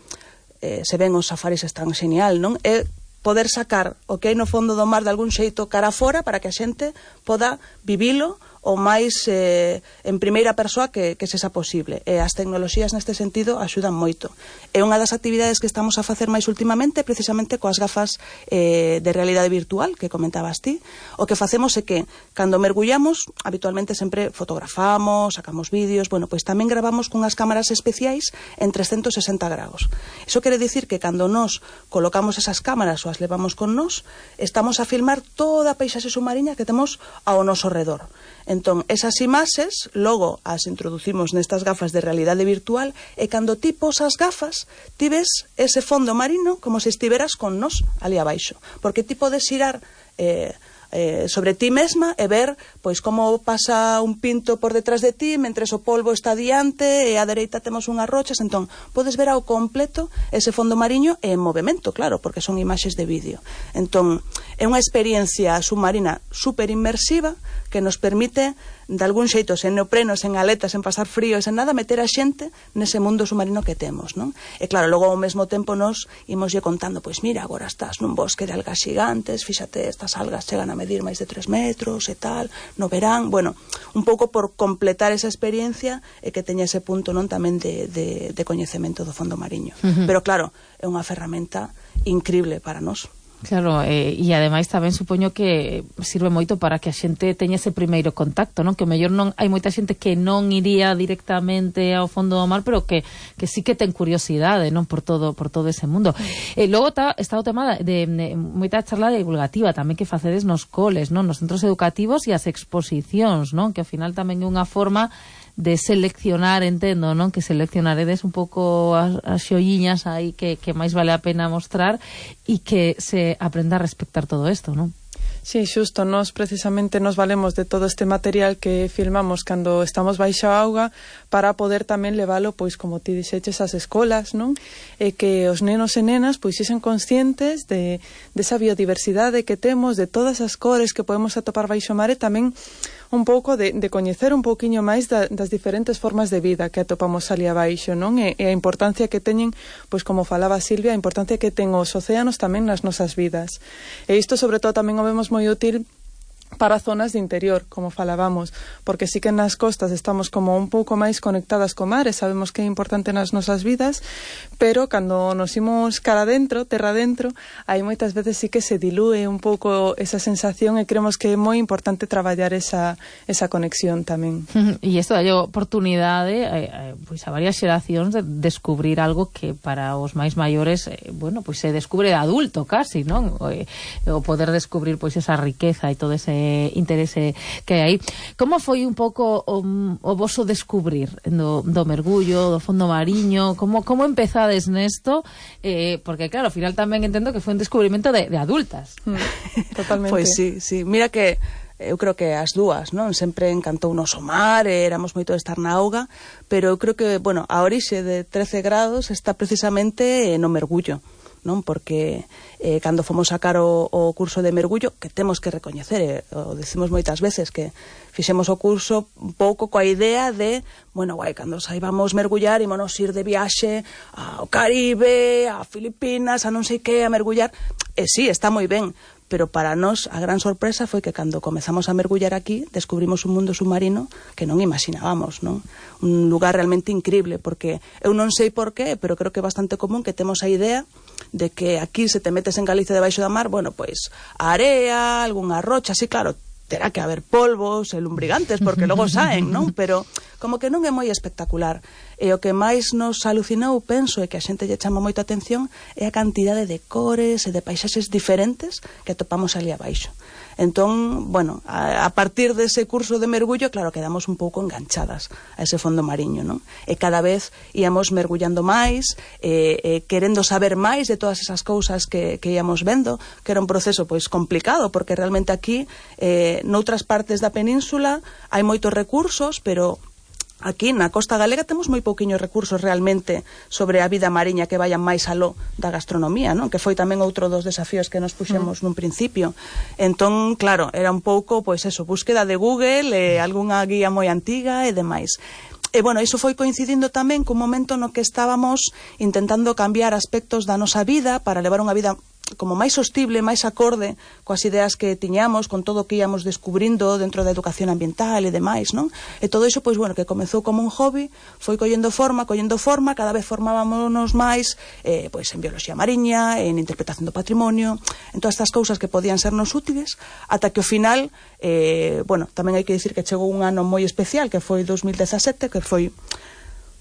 eh, se ven os safaris están genial, non? É poder sacar o que hai no fondo do mar de algún xeito cara fora para que a xente poda vivilo o máis eh, en primeira persoa que, que sexa posible. E as tecnoloxías neste sentido axudan moito. É unha das actividades que estamos a facer máis ultimamente precisamente coas gafas eh, de realidade virtual que comentabas ti. O que facemos é que cando mergullamos habitualmente sempre fotografamos, sacamos vídeos, bueno, pois tamén gravamos cunhas cámaras especiais en trescentos sesenta grados. Iso quere dicir que cando nos colocamos esas cámaras ou as levamos con nós, estamos a filmar toda a paisaxe submarina que temos ao noso redor. Entón, esas imaxes, logo as introducimos nestas gafas de realidade virtual e cando ti posas gafas, ti ves ese fondo marino como se estiveras con nós ali abaixo. Porque ti podes xirar eh, eh, sobre ti mesma e ver pois como pasa un pinto por detrás de ti mentres o polvo está diante e á dereita temos unhas rochas. Entón, podes ver ao completo ese fondo mariño e en movimento, claro, porque son imaxes de vídeo. Entón, é unha experiencia submarina super inmersiva que nos permite de algún xeito, sen neopreno, sen aletas, sen pasar frío, sen nada, meter a xente nese mundo submarino que temos, non? E claro, logo ao mesmo tempo nos imoslle contando, pois mira, agora estás nun bosque de algas xigantes, fíxate, estas algas chegan a medir máis de tres metros e tal, no verán, bueno, un pouco por completar esa experiencia e que teña ese punto, non, tamén de, de, de coñecemento do fondo mariño. Uh-huh. Pero claro, é unha ferramenta increíble para nós. Claro, eh, e ademais tamén supoño que sirve moito para que a xente teña ese primeiro contacto, non? Que o mellor non hai moita xente que non iría directamente ao fondo do mar, pero que, que sí que ten curiosidade, non? Por todo por todo ese mundo. E eh, logo está, está o tema de, de moita charla divulgativa tamén que facedes nos coles, non? Nos centros educativos e as exposicións, non? Que ao final tamén é unha forma de seleccionar, entendo, non? Que seleccionaredes un pouco as, as xoiñas aí que, que máis vale a pena mostrar e que se aprenda a respectar todo isto, non? Sí, xusto, nós precisamente nos valemos de todo este material que filmamos cando estamos baixo a auga para poder tamén levalo, pois, como ti dixeches, ás escolas, non? E que os nenos e nenas, pois, xesen conscientes de, de esa biodiversidade que temos, de todas as cores que podemos atopar baixo o mar e tamén un pouco de, de coñecer un pouquiño máis da, das diferentes formas de vida que atopamos ali abaixo, non? E, e a importancia que teñen, pois como falaba Silvia, a importancia que ten os océanos tamén nas nosas vidas. E isto sobre todo tamén o vemos moi útil para zonas de interior, como falábamos, porque sí que nas costas estamos como un pouco máis conectadas co mar e sabemos que é importante nas nosas vidas, pero cando nos imos cara adentro, terra adentro, aí moitas veces sí que se dilúe un pouco esa sensación e creemos que é moi importante traballar esa, esa conexión tamén. E isto dá oportunidade eh, pois a varias xeracións de descubrir algo que para os máis maiores, eh, bueno, pois se descubre de adulto casi, non? O, eh, o poder descubrir pois esa riqueza e todo ese interese que hai. Como foi un pouco o, o voso descubrir do, do mergullo, do fondo mariño? Como, como empezades nesto? Eh, porque claro, ao final tamén entendo que foi un descubrimento de, de adultas. Mm, totalmente. Pois sí, sí. Mira que eu creo que as dúas, non? Sempre encantou nos o mar, éramos moito de estar na auga, pero eu creo que, bueno, a orixe de trece grados está precisamente no mergullo, non? Porque eh, cando fomos sacar o, o curso de mergullo, que temos que recoñecer, eh, o decimos moitas veces, que fixemos o curso un pouco coa idea de, bueno, guai, cando saibamos mergullar, ímonos ir de viaxe ao Caribe, a Filipinas, a non sei que, a mergullar. E sí, está moi ben, pero para nós a gran sorpresa foi que cando comezamos a mergullar aquí descubrimos un mundo submarino que non imaginábamos, non? Un lugar realmente increíble, porque eu non sei por qué, pero creo que é bastante común que temos a idea de que aquí se te metes en Galicia debaixo da mar, bueno, pois a area, algunha rocha, así, claro, terá que haber polvos e lumbrigantes, porque logo saen, non? Pero como que non é moi espectacular. E o que máis nos alucinou, penso, e que a xente lle chama moita atención, é a cantidade de cores e de paisaxes diferentes que atopamos ali abaixo. Entón, bueno, a, a partir dese curso de mergullo, claro, quedamos un pouco enganchadas a ese fondo mariño, non? E cada vez íamos mergullando máis, e, e querendo saber máis de todas esas cousas que, que íamos vendo, que era un proceso, pois, complicado, porque realmente aquí, eh, noutras partes da península, hai moitos recursos, pero aquí na costa galega temos moi pouquiños recursos realmente sobre a vida mariña que vayan máis aló da gastronomía, non? Que foi tamén outro dos desafíos que nos puxemos mm. nun principio. Entón, claro, era un pouco, pois eso, búsqueda de Google, eh, algunha guía moi antiga e demais. E, bueno, iso foi coincidindo tamén cun momento no que estábamos intentando cambiar aspectos da nosa vida para levar unha vida como máis sostible, máis acorde coas ideas que tiñamos, con todo o que íamos descubrindo dentro da educación ambiental e demais, non? E todo iso, pois, bueno, que comezou como un hobby, foi collendo forma, collendo forma, cada vez formábamos máis, eh, pois, en bioloxía mariña, en interpretación do patrimonio, en todas estas cousas que podían sernos útiles, ata que ao final, eh, bueno, tamén hai que dicir que chegou un ano moi especial, que foi dos mil dezasete, que foi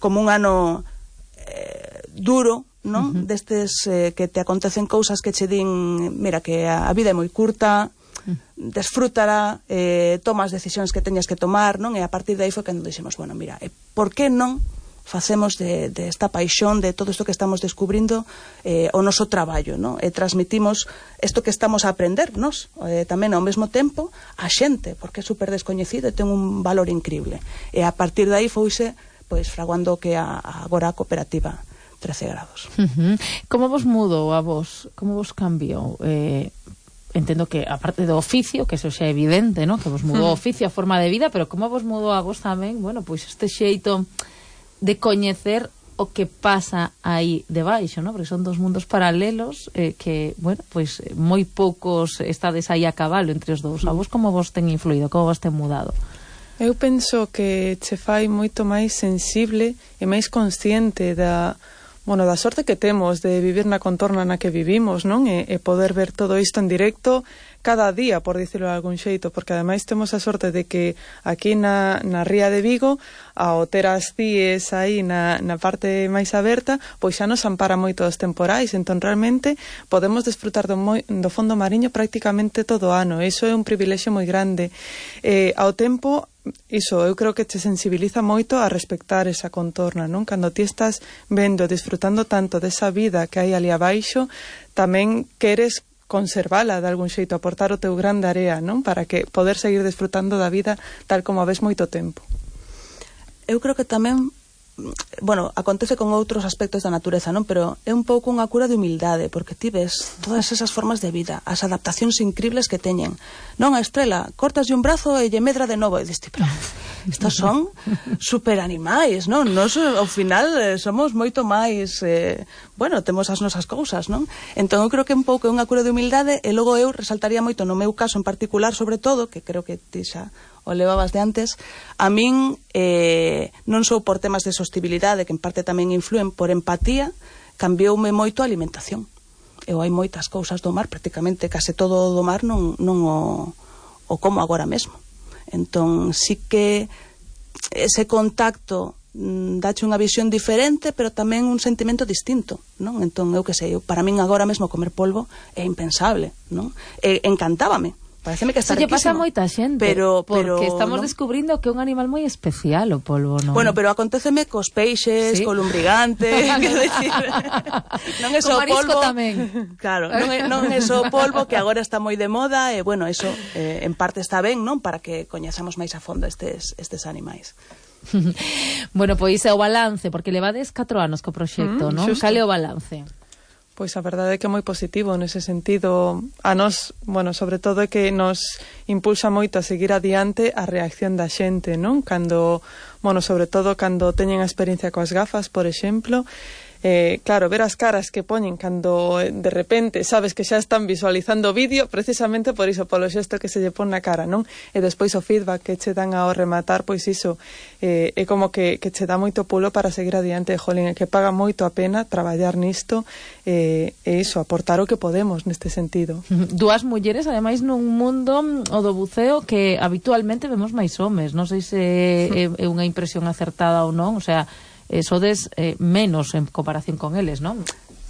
como un ano eh, duro, non? Uh-huh. Destes eh, que te acontecen cousas que che din, mira, que a, a vida é moi curta, uh-huh. desfrútala, eh, tomas decisións que teñas que tomar, non? E a partir de aí foi cando dixemos, bueno, mira, eh, por que non facemos de, de esta paixón, de todo isto que estamos descubrindo, eh, o noso traballo, non? E transmitimos isto que estamos a aprender, nos, eh, tamén ao mesmo tempo, a xente, porque é super descoñecido e ten un valor increíble. E a partir de aí foise, pois, fraguando que a, a agora a cooperativa trece grados. Uh-huh. Como vos mudou a vos? Como vos cambiou? Eh, entendo que, aparte do oficio, que eso xa é evidente, ¿no? Que vos mudou o oficio, a forma de vida, pero como vos mudou a vos tamén, bueno, pois este xeito de coñecer o que pasa aí debaixo, ¿no? Porque son dos mundos paralelos eh, que, bueno, pois moi poucos estades aí a cabalo entre os dous. A vos como vos ten influído, como vos ten mudado? Eu penso que che fai moito máis sensible e máis consciente da, bueno, da sorte que temos de vivir na contorna na que vivimos, non? E, e poder ver todo isto en directo cada día, por dicirlo de algún xeito, porque ademais temos a sorte de que aquí na, na ría de Vigo, ao ter as cíes aí na, na parte máis aberta, pois xa nos ampara moito os temporais, entón realmente podemos desfrutar do, moi, do fondo mariño prácticamente todo o ano. Iso é un privilexio moi grande. Eh, ao tempo, iso, eu creo que te sensibiliza moito a respectar esa contorna, non? Cando ti estás vendo, disfrutando tanto desa vida que hai ali abaixo, tamén queres conservala de algún xeito, aportar o teu gran de area, non? Para que poder seguir desfrutando da vida tal como a ves moito tempo. Eu creo que tamén, bueno, acontece con outros aspectos da natureza, non? Pero é un pouco unha cura de humildade, porque ti ves todas esas formas de vida, as adaptacións increíbles que teñen. Non, a estrela, cortas de un brazo e lle medra de novo, e diste, pero estos son super animais, non? Nos, ao final, eh, somos moito máis, eh, bueno, temos as nosas cousas, non? Entón, eu creo que un pouco é unha cura de humildade, e logo eu resaltaría moito no meu caso en particular, sobre todo, que creo que ti xa o levabas de antes, a min eh, non sou por temas de sostibilidade, que en parte tamén influen, por empatía, cambioume moito a alimentación. Eu hai moitas cousas do mar, prácticamente case todo do mar non, non o, o como agora mesmo. Entón, sí que ese contacto mm, dache unha visión diferente, pero tamén un sentimento distinto, non? Entón, eu que sei, eu, para min agora mesmo comer polvo é impensable, non? E, encantábame. Pareceme que está riquísimo. Eso lle pasa a moita xente, pero, pero, porque estamos ¿no? descubrindo que é un animal moi especial o polvo, non? Bueno, pero aconteceme cos peixes, ¿sí? Co lumbrigante, que decir, non é só polvo tamén. Claro, non é, non é só polvo, que agora está moi de moda, e bueno, eso eh, en parte está ben, non? Para que coñezamos máis a fondo estes, estes animais. Bueno, pois é o balance, porque levades catro anos co proxecto, mm, non? Cal é o balance? Pois a verdade é que é moi positivo nese sentido. A nós, bueno, sobre todo é que nos impulsa moito a seguir adiante a reacción da xente, non? Cando, bueno, sobre todo cando teñen a experiencia coas gafas, por exemplo, eh, claro, ver as caras que poñen cando de repente sabes que xa están visualizando o vídeo, precisamente por iso, polo xesto que se lle pon na cara, non? E despois o feedback que che dan ao rematar, pois iso eh, é como que, que che dá moito pulo para seguir adiante, jolín, é que paga moito a pena traballar nisto eh, e iso, aportar o que podemos neste sentido. Dúas mulleres, ademais, nun mundo o do buceo que habitualmente vemos máis homes, non sei se é, é unha impresión acertada ou non, o sea, Eh, sodes eh, menos en comparación con eles, non?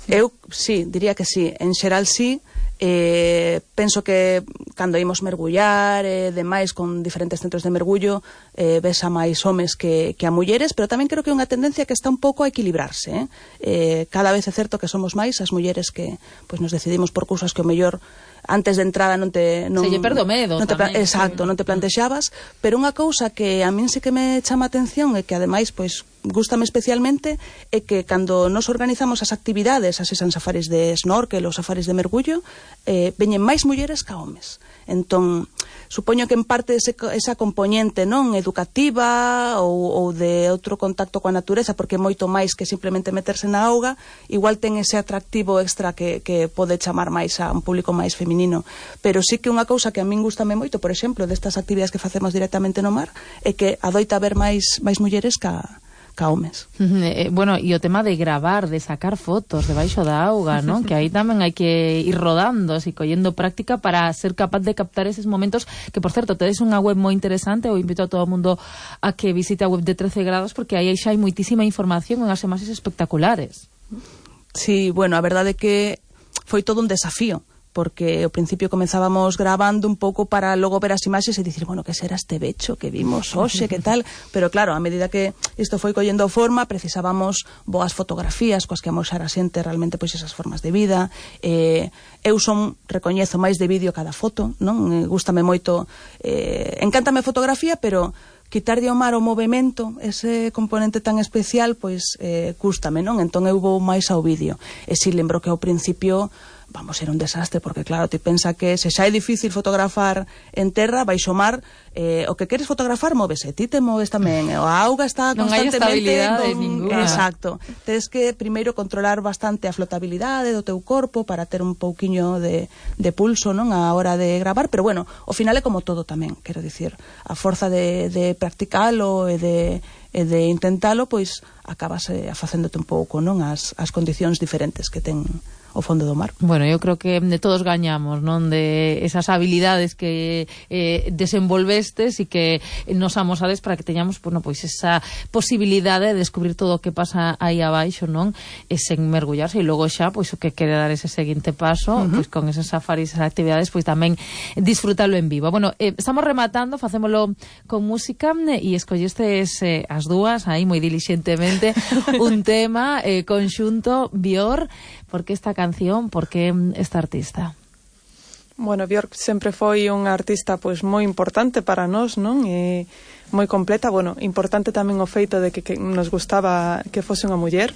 Eu, sí, diría que sí. En xeral, sí. Eh, penso que cando imos mergullar e eh, demais con diferentes centros de mergullo eh, ves a máis homes que, que a mulleres, pero tamén creo que é unha tendencia que está un pouco a equilibrarse, eh? Eh, cada vez é certo que somos máis as mulleres que pues, nos decidimos por cousas que o mellor antes de entrada non te non, se lle perde o medo non te, tamén, exacto, sí. Non te plantexabas, pero unha cousa que a min sí que me chama a atención e que ademais pois gústame especialmente é que cando nos organizamos as actividades, as esan safaris de snorkel ou safaris de mergullo, eh, veñen máis mulleres que homes. Entón, supoño que en parte ese, esa componente non educativa ou, ou de outro contacto coa natureza, porque é moito máis que simplemente meterse na auga, igual ten ese atractivo extra que, que pode chamar máis a un público máis feminino. Pero sí que unha cousa que a min gustame moito, por exemplo, destas actividades que facemos directamente no mar, é que adoita haber máis, máis mulleres ca Caumes. Eh, bueno, e o tema de gravar, de sacar fotos debaixo da auga, ¿no? Que aí tamén hai que ir rodando e collendo práctica para ser capaz de captar eses momentos, que por certo, tedes unha web moi interesante, eu invito a todo o mundo a que visite a web de trece grados, porque aí xa hai moitísima información en as imaxes espectaculares. Sí, bueno, a verdade é que foi todo un desafío, porque ao principio comenzábamos grabando un pouco para logo ver as imaxes e dicir, bueno, que será este becho que vimos hoxe, que tal, pero claro, a medida que isto foi collendo forma, precisábamos boas fotografías coas que amoxar a xente realmente pois esas formas de vida. eh, eu son, recoñezo máis de vídeo cada foto, non? Eh, gústame moito, eh, encántame a fotografía, pero quitar de ao mar o movimento, ese componente tan especial, pois eh, cústame, non? Entón eu vou máis ao vídeo. E si lembro que ao principio vamos, era un desastre, porque claro, ti pensa que se xa é difícil fotografar en terra, baixo mar, eh, o que queres fotografar móvese, ti te moves tamén, a auga está non constantemente... Non hai estabilidade con... ninguna. Exacto. Tens que primeiro controlar bastante a flotabilidade do teu corpo para ter un pouquiño de, de pulso, non, a hora de gravar, pero bueno, ao final é como todo tamén, quero dicir, a forza de, de practicalo e de, e de intentalo, pois acabas eh, facéndote un pouco, non, as, as condicións diferentes que ten o fondo do mar. Bueno, eu creo que de todos gañamos, non, de esas habilidades que eh, desenvolvestes e que nos amosades para que teñamos, bueno, pois esa posibilidade de descubrir todo o que pasa aí abaixo, non, e sen mergullarse, e logo xa, pois o que quere dar ese seguinte paso, uh-huh. pois con esos safaris, esas actividades, pois tamén disfrútalo en vivo. Bueno, eh, estamos rematando, facémolo con música, eh, e escollistes eh, as dúas aí moi dilixentemente un tema eh, conxunto Björk. Por que esta canción? Por que esta artista? Bueno, Björk sempre foi unha artista pois moi importante para nós, non? E moi completa, bueno, importante tamén o feito de que, que nos gustaba que fose unha muller.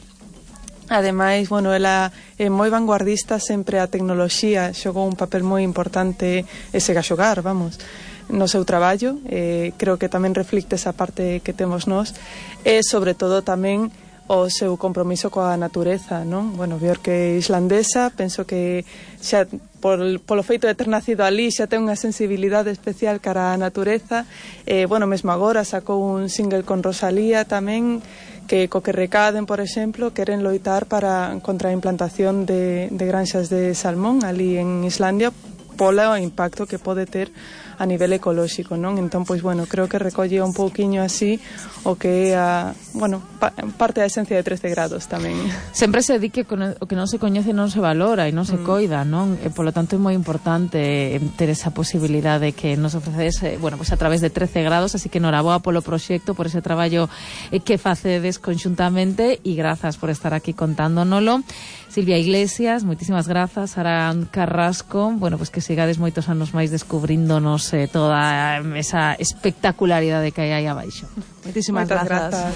Ademais, bueno, ela é moi vanguardista, sempre a tecnoloxía xogou un papel moi importante e sega a xogar, vamos, no seu traballo. Eh, creo que tamén reflicte esa parte que temos nós e, sobre todo, tamén o seu compromiso coa natureza, non? Bueno, Björk é islandesa, penso que xa por, polo feito de ter nacido ali xa ten unha sensibilidade especial cara á natureza. Eh, bueno, mesmo agora sacou un single con Rosalía tamén, que co que recaden, por exemplo, queren loitar para contra a implantación de, de granxas de salmón ali en Islandia polo impacto que pode ter a nivel ecolóxico, non? Entón, pois, bueno, creo que recolle un pouquiño así o que é a, bueno, pa, parte da esencia de trece grados tamén. Sempre se di que o que non se coñece non se valora e non se mm. coida, non? E, polo tanto, é moi importante ter esa posibilidade que nos ofrecedes, bueno, pois a través de trece grados, así que noraboa polo proxecto, por ese traballo que facedes conxuntamente, e grazas por estar aquí contándonoslo. Silvia Iglesias, moitísimas grazas. Sara Carrasco, bueno, pois que sigades moitos anos máis descubríndonos eh, toda esa espectacularidade que hai aí abaixo. Moitísimas grazas. grazas.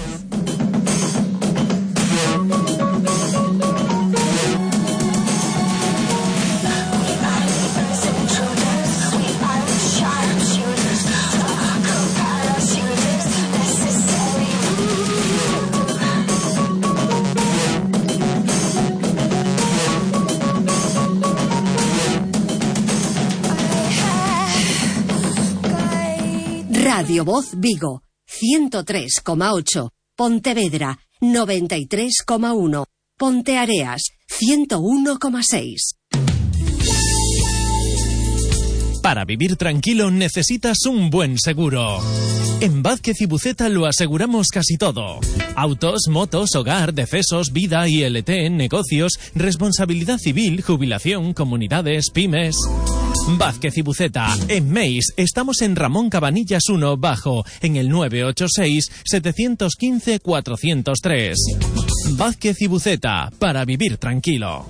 Radio Voz Vigo, ciento tres coma ocho. Pontevedra, noventa y tres coma uno. Ponteareas, ciento uno coma seis. Para vivir tranquilo necesitas un buen seguro. En Vázquez y Buceta lo aseguramos casi todo. Autos, motos, hogar, decesos, vida, I L T, negocios, responsabilidad civil, jubilación, comunidades, pymes... Vázquez y Buceta. En Meis estamos en Ramón Cabanillas uno Bajo, en el nueve ocho seis, siete uno cinco, cuatro cero tres. Vázquez y Buceta, para vivir tranquilo.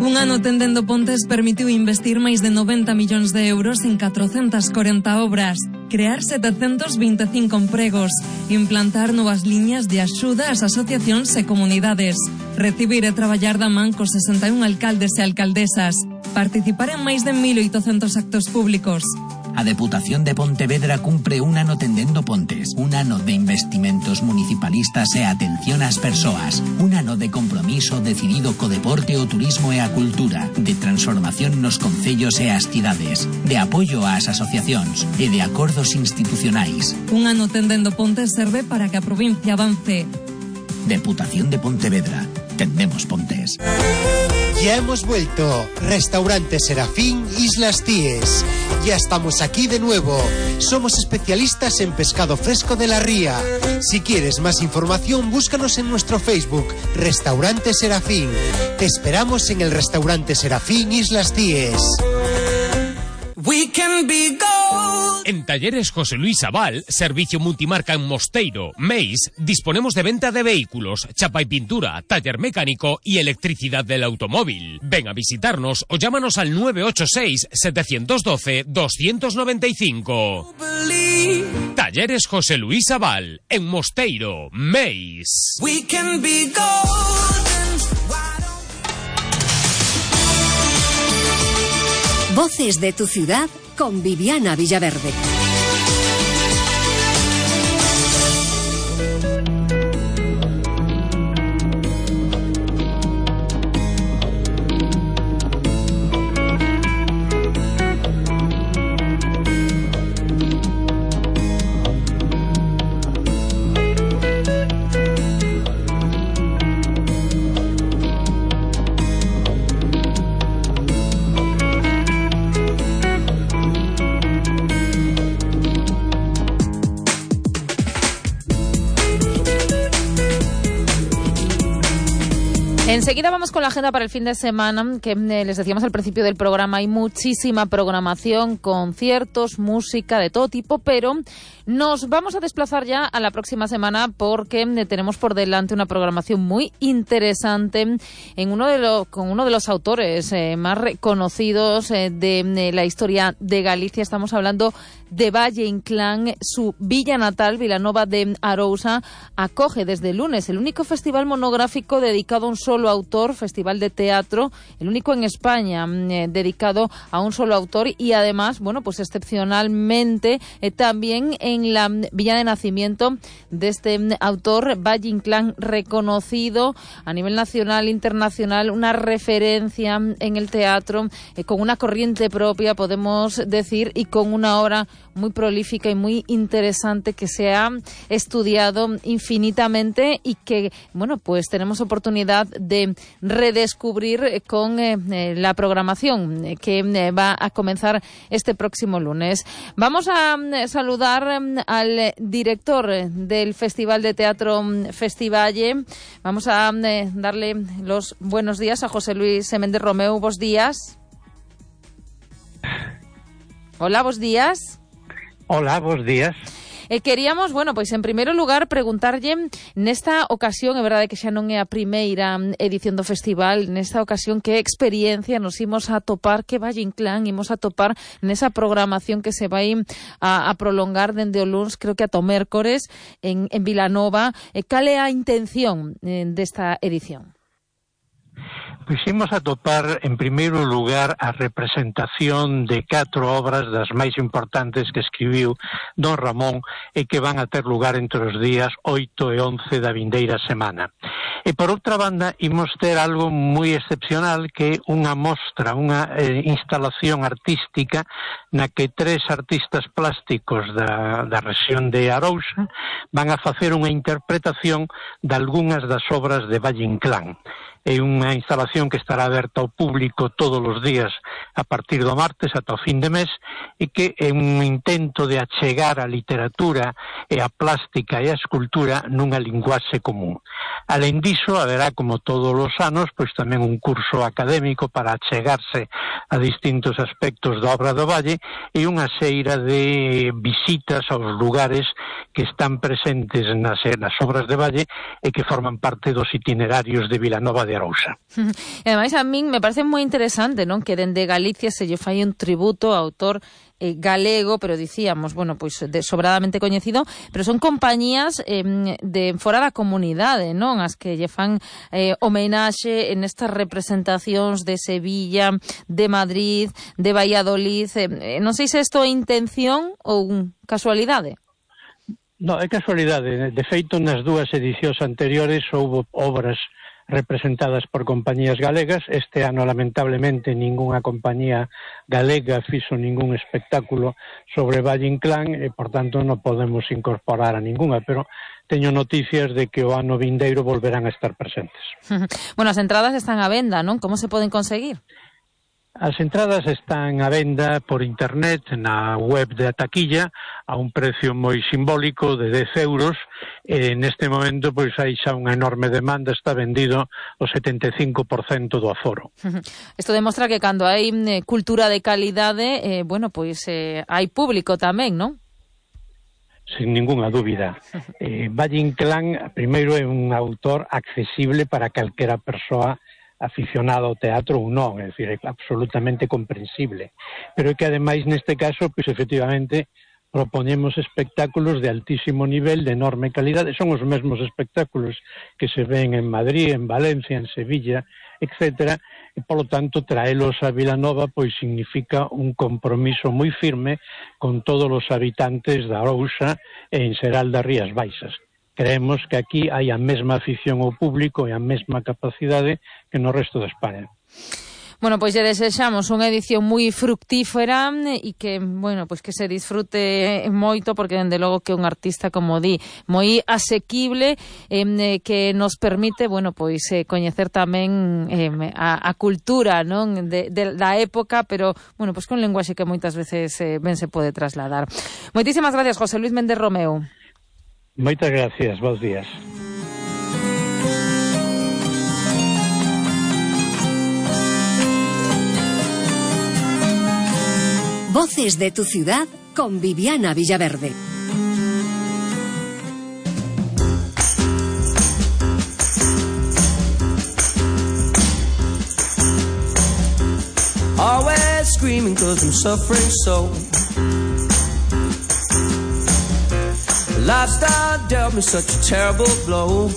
Un ano tendendo pontes permitiu investir máis de noventa millóns de euros en catrocentas corenta obras, crear setecentos vinte e cinco empregos, implantar novas liñas de axuda ás asociacións e comunidades, recibir e traballar da man cos sesenta e un alcaldes e alcaldesas, participar en máis de mil oitocentos actos públicos. A Deputación de Pontevedra cumpre un ano tendendo pontes, un ano de investimentos municipalistas e atención ás persoas, un ano de compromiso decidido co deporte, o turismo e a cultura, de transformación nos concellos e as cidades, de apoio ás asociacións e de acordos institucionais. Un ano tendendo pontes serve para que a provincia avance. Deputación de Pontevedra. Tendemos pontes. Ya hemos vuelto. Restaurante Serafín, Islas Cíes. Ya estamos aquí de nuevo. Somos especialistas en pescado fresco de la ría. Si quieres más información, búscanos en nuestro Facebook, Restaurante Serafín. Te esperamos en el Restaurante Serafín, Islas Cíes. We can be gold. En Talleres José Luis Aval, servicio multimarca en Mosteiro, Meis, disponemos de venta de vehículos, chapa y pintura, taller mecánico y electricidad del automóvil. Ven a visitarnos o llámanos al nueve ocho seis, siete uno dos, dos nueve cinco. Talleres José Luis Aval, en Mosteiro, Meis. We can be gold. Voces de tu ciudad con Viviana Villaverde. Enseguida vamos con la agenda para el fin de semana, que eh, les decíamos al principio del programa, hay muchísima programación, conciertos, música de todo tipo, pero nos vamos a desplazar ya a la próxima semana porque eh, tenemos por delante una programación muy interesante en uno de los, con uno de los autores eh, más reconocidos eh, de, de la historia de Galicia. Estamos hablando de Valle Inclán. Su villa natal, Vilanova de Arousa, acoge desde el lunes el único festival monográfico dedicado a un solo autor, festival de teatro, el único en España eh, dedicado a un solo autor, y además, bueno, pues excepcionalmente eh, también en la villa de nacimiento de este autor, Valle Inclán, reconocido a nivel nacional, internacional, una referencia en el teatro, eh, con una corriente propia, podemos decir, y con una obra muy prolífica y muy interesante que se ha estudiado infinitamente y que, bueno, pues tenemos oportunidad de redescubrir con eh, la programación eh, que eh, va a comenzar este próximo lunes. Vamos a eh, saludar eh, al director del Festival de Teatro Festivalle. Vamos a eh, darle los buenos días a José Luis Méndez Romeu. Bos días. Hola, bos días. Hola, bos días. Eh, queríamos, bueno, pois en primeiro lugar preguntarlle nesta ocasión, é verdade que xa non é a primeira edición do festival, nesta ocasión que experiencia nos imos a topar, que Valle Inclán imos a topar nesa programación que se vai a, a prolongar dende o luns, creo que ata o mércores en, en Vilanova. Eh, cal é a intención eh, desta edición? Pois imos a topar, en primeiro lugar, a representación de catro obras das máis importantes que escribiu don Ramón e que van a ter lugar entre os días oito e once da vindeira semana. E, por outra banda, imos ter algo moi excepcional, que é unha mostra, unha eh, instalación artística na que tres artistas plásticos da, da rexión de Arousa van a facer unha interpretación de algunhas das obras de Valle Inclán. É unha instalación que estará aberta ao público todos os días a partir do martes ata o fin de mes, e que é un intento de achegar a literatura e a plástica e a escultura nunha linguaxe común. Alén diso, haberá, como todos os anos, pois tamén un curso académico para achegarse a distintos aspectos da obra do Valle e unha xeira de visitas aos lugares que están presentes nas, nas obras de Valle e que forman parte dos itinerarios de Vilanova de Arousa. E ademais, a min me parece moi interesante, non, que dende Galicia se lle fai un tributo ao autor eh, galego, pero dicíamos, bueno, pois de, sobradamente coñecido, pero son compañías eh, de fora da comunidade, non, as que lle fan eh, homenaxe en estas representacións de Sevilla, de Madrid, de Valladolid. Eh, non sei se isto é intención ou casualidade. No, é casualidade. De feito, nas dúas edicións anteriores houbo obras representadas por compañías galegas. Este ano, lamentablemente, ningunha compañía galega fixo ningún espectáculo sobre Valle Inclán e, por tanto, non podemos incorporar a ningunha, pero teño noticias de que o ano vindeiro volverán a estar presentes. Bueno, as entradas están á venda, non? Como se poden conseguir? As entradas están á venda por internet na web de Ataquilla a un precio moi simbólico de dez euros. E neste momento pois hai xa unha enorme demanda, está vendido o setenta e cinco por cento do aforo. Isto demostra que cando hai eh, cultura de calidade, eh, bueno, pois eh, hai público tamén, non? Sin ningunha dúbida. Eh, Valle Inclán, primeiro, é un autor accesible para calquera persoa aficionado ao teatro ou non, é dicir, é absolutamente comprensible. Pero é que, ademais, neste caso, pois, efectivamente, proponemos espectáculos de altísimo nivel, de enorme calidade, son os mesmos espectáculos que se ven en Madrid, en Valencia, en Sevilla, etcétera, e polo tanto traelos a Vilanova pois significa un compromiso moi firme con todos os habitantes da Arousa e en xeral das Rías Baixas. Creemos que aquí hai a mesma afición ao público e a mesma capacidade que no resto de España. Bueno, pois lle desexamos unha edición moi fructífera e que, bueno, pois que se disfrute moito, porque dende logo que un artista, como di, moi asequible, eh, que nos permite, bueno, pois eh, coñecer tamén eh, a, a cultura, non, de, de, da época, pero, bueno, pois con lenguaxe que moitas veces eh, ben se pode trasladar. Moitísimas gracias, José Luis Méndez Romeu. Moitas gracias, bons días. Voces de tu ciudad con Viviana Villaverde. Always screaming 'cause I'm suffering so. Lifestyle dealt me such a terrible blow.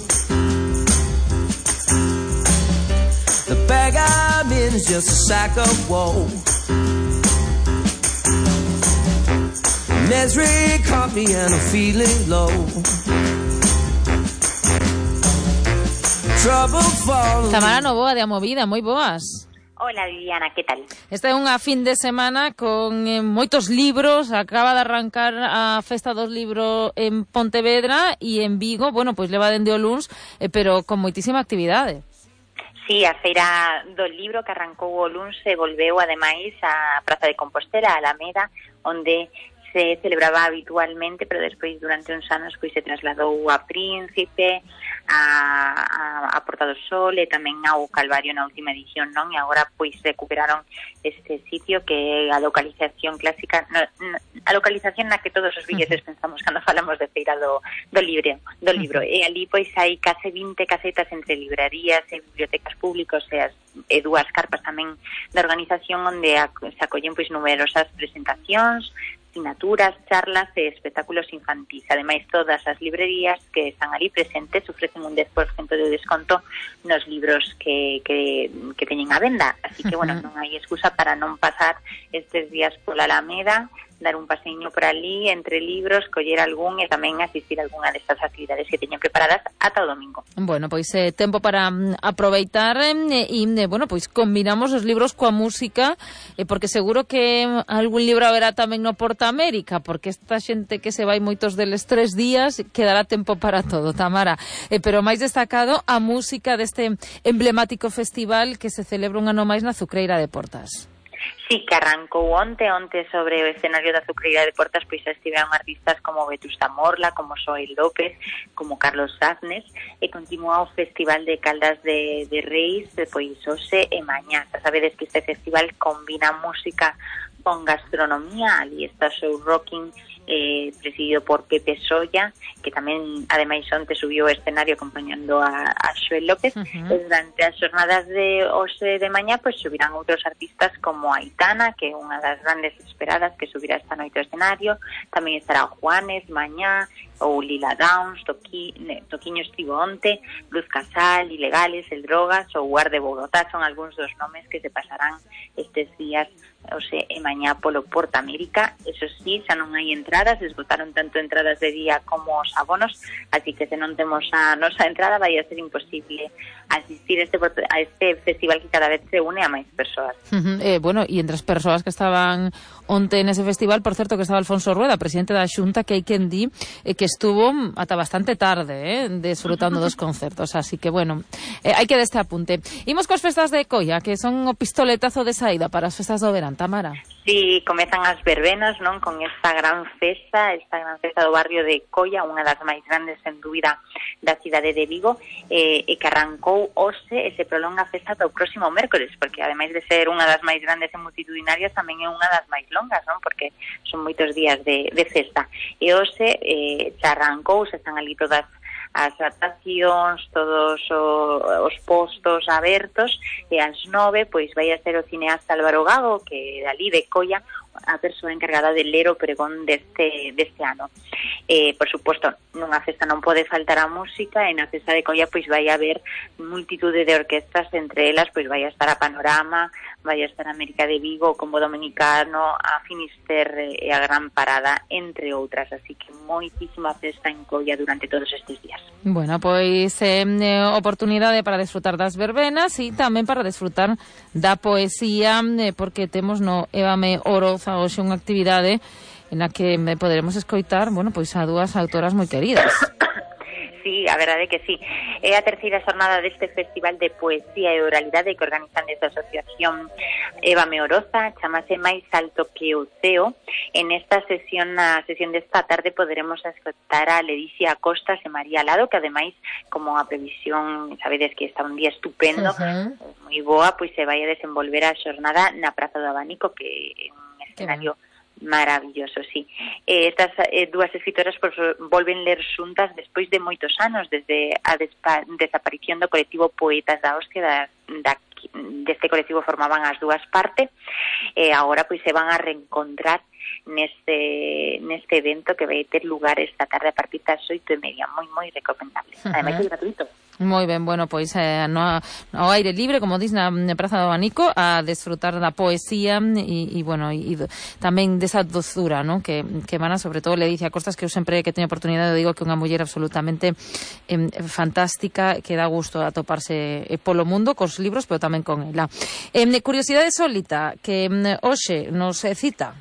The bag I'm in is just a sack of woe. Misery caught me and I'm feeling low. Trouble falling. Tamara Novoa de A Movida, moi boas. Hola Viviana, que tal? Esta é unha fin de semana con eh, moitos libros, acaba de arrancar a Festa dos Libros en Pontevedra e en Vigo, bueno, pois leva dende o luns, eh, pero con moitísima actividade. Sí, a feira do libro que arrancou o luns se volveu ademais a Praza de Compostela, a Alameda, onde se celebraba habitualmente, pero despois durante uns anos pois se trasladou a Príncipe, a, a, a Porta do Sol e tamén ao Calvario na última edición, non? E agora pois recuperaron este sitio que a localización clásica, no, no, a localización na que todos os villetes pensamos cando falamos de feira do, do libro, do libro. E ali pois hai case vinte casetas entre librarías e bibliotecas públicas e, as, e dúas carpas tamén da organización onde a, se acollen pois numerosas presentacións, asignaturas, charlas e espectáculos infantís. Ademais, todas as librerías que están ali presentes ofrecen un dez por cento de desconto nos libros que, que, que teñen a venda. Así que, bueno, non hai excusa para non pasar estes días pola Alameda, dar un paseiño por ali entre libros, coller algún e tamén asistir a algunha destas actividades que teñen preparadas ata o domingo. Bueno, pois eh, tempo para mm, aproveitar e, eh, eh, bueno, pois combinamos os libros coa música, eh, porque seguro que algún libro haberá tamén no Porta América, porque esta xente que se vai moitos deles tres días, quedará tempo para todo, Tamara. Eh, pero máis destacado a música deste emblemático festival que se celebra un ano máis na Azucreira de Portas. Sí, que arrancou onte, onte sobre o escenario da Azucreira de Portas, pois estiveron artistas como Vetusta Morla, como Xoel López, como Carlos Saznes, e continúa o Festival de Caldas de, de Reis, pois hoxe e mañá. Sabedes que este festival combina música con gastronomía, ali está Show Rocking, eh, presidido por Pepe Solla, que tamén, ademais, onte subiu ao escenario acompañando a, a Xoel López. Uh-huh. E durante as jornadas de hoxe de mañá, pois subirán outros artistas como Aitana, que é unha das grandes esperadas que subirá esta noite ao escenario. Tamén estará Juanes mañá, ou Lila Downs, Toqui, Toquiño estivo onte, Luz Casal, Ilegales, El Drogas ou Guar de Bogotá, son algúns dos nomes que se pasarán estes días hoxe e mañá polo Porta América. Eso sí, xa non hai entradas, esgotaron tanto entradas de día como os abonos, así que se non temos a nosa entrada vai a ser imposible asistir a este, a este festival que cada vez se une a máis persoas. Uh-huh. Eh, bueno, e entre as persoas que estaban onte nese festival, por certo, que estaba Alfonso Rueda, presidente da Xunta, que hai quen di eh, que estuvo ata bastante tarde, eh, desfrutando dos concertos, así que, bueno, eh, hai que deste apunte. Imos coas festas de Coia, que son o pistoletazo de saída para as festas do verán, Tamara. Sí, comezan as verbenas, non? Con esta gran festa, esta gran festa do barrio de Coia, unha das máis grandes, sen dúbida, da cidade de Vigo, eh, e que arrancou hoxe e se prolonga a festa do próximo mércores, porque ademais de ser unha das máis grandes e multitudinarias, tamén é unha das máis longas, non? Porque son moitos días de, de festa. E hoxe eh, se arrancou, se están ali todas as atraccións, todos os postos abertos, e ás nove pois vai a ser o cineasta Álvaro Gago, que dali de Coia, a persoa encargada de ler o pregón deste, deste ano. Eh, por suposto, nunha festa non pode faltar a música, e na festa de Coia pois vai haber multitude de orquestas, entre elas pois vai a estar a Panorama, vai a estar a América de Vigo, o Combo Dominicano, a Finisterre e a Gran Parada, entre outras, así que moitísima festa en Coia durante todos estes días. Bueno, pois eh, oportunidade para desfrutar das verbenas e tamén para desfrutar da poesía, eh, porque temos no Évame Oroza hoxe unha actividade en a que poderemos escoitar, bueno, pois a dúas autoras moi queridas. Sí, a verdade que sí. É a terceira xornada deste Festival de Poesía e Oralidade que organizan desde a Asociación Évame Oroza, chamase Máis Alto que o Ceo. En esta sesión, na sesión desta tarde, poderemos escoitar a Ledicia Costas e María Lado, que ademais, como a previsión, sabedes que está un día estupendo, uh-huh. moi boa, pois se vai a desenvolver a xornada na Praza do Abanico, que é un escenario maravilloso, sí. Eh, estas eh, dúas escritoras pues, volven ler xuntas despois de moitos anos, desde a despa- desaparición do colectivo Poetas da Hostia, da, da, deste colectivo formaban as dúas partes, e eh, agora pois se van a reencontrar neste neste evento que vai ter lugar esta tarde a partir das oito e media, moi, moi recomendable. Uh-huh. Ademais é gratuito. Moi ben, bueno, pois eh, no, no aire libre, como dis, na, na Praza do Abanico, a desfrutar da poesía e, e bueno, e, e tamén desa dozura, ¿no? que, que emana sobre todo Ledicia Costas, que eu sempre que teño oportunidade digo que é unha muller absolutamente eh, fantástica, que dá gusto atoparse eh, polo mundo cos libros, pero tamén con ela. Eh, curiosidade sólita, que eh, hoxe nos eh, cita.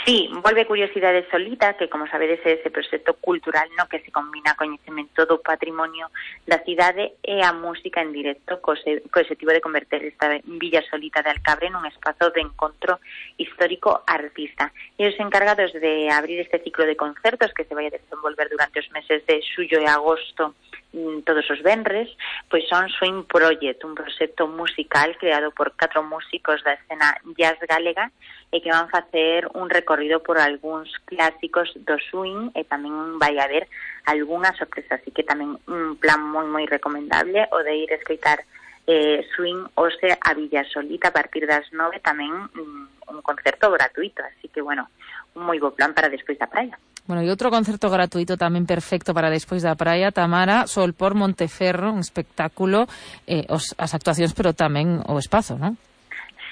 Sí, volve Curiosidade Solita, que como sabedes é ese proxecto cultural no que se combina coñecemento do patrimonio da cidade e a música en directo co objetivo de converter esta Villa Solita de Alcabre nun espazo de encontro histórico artista. E os encargados de abrir este ciclo de concertos que se vai a desenvolver durante os meses de xullo e agosto todos os venres, pois son Swing Project, un proxecto musical creado por catro músicos da escena jazz galega e que van facer un recorrido por algúns clásicos do swing e tamén vai haber algunhas sorpresas, así que tamén un plan moi moi recomendable o de ir a escoitar eh, swing hoxe a Villa Solita a partir das nove, tamén mm, un concerto gratuito, así que bueno, un moi bo plan para despois da praia. Bueno, e outro concerto gratuito tamén perfecto para despois da praia, Tamara, Sol por Monteferro, un espectáculo, eh, os, as actuacións, pero tamén o espazo, non?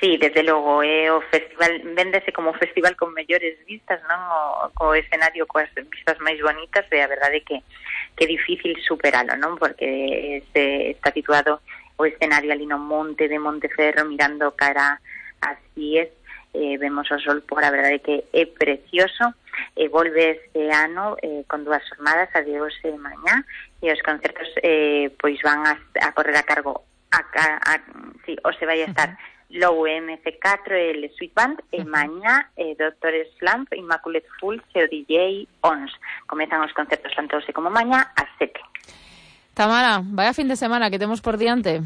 Sí, desde logo, é o festival, véndese como festival con mellores vistas, non? O, co escenario coas vistas máis bonitas, e a verdade que que é difícil superalo, non? Porque este, está situado o escenario ali no monte de Monteferro, mirando cara ás Cíes, eh, vemos o sol por, a verdade que é precioso. E volve este ano eh, con dúas jornadas, a de hoxe e mañá, e os concertos eh, pois van a, a correr a cargo a, a, a, sí, hoxe vai a estar uh-huh. Low M C catro e el Sweet Band, uh-huh. e mañá eh, Doctor Slump, Immaculate Fools e o D J Ons. Comezan os concertos tanto hoxe como mañá ás sete. Tamara, vaya fin de semana que temos por diante.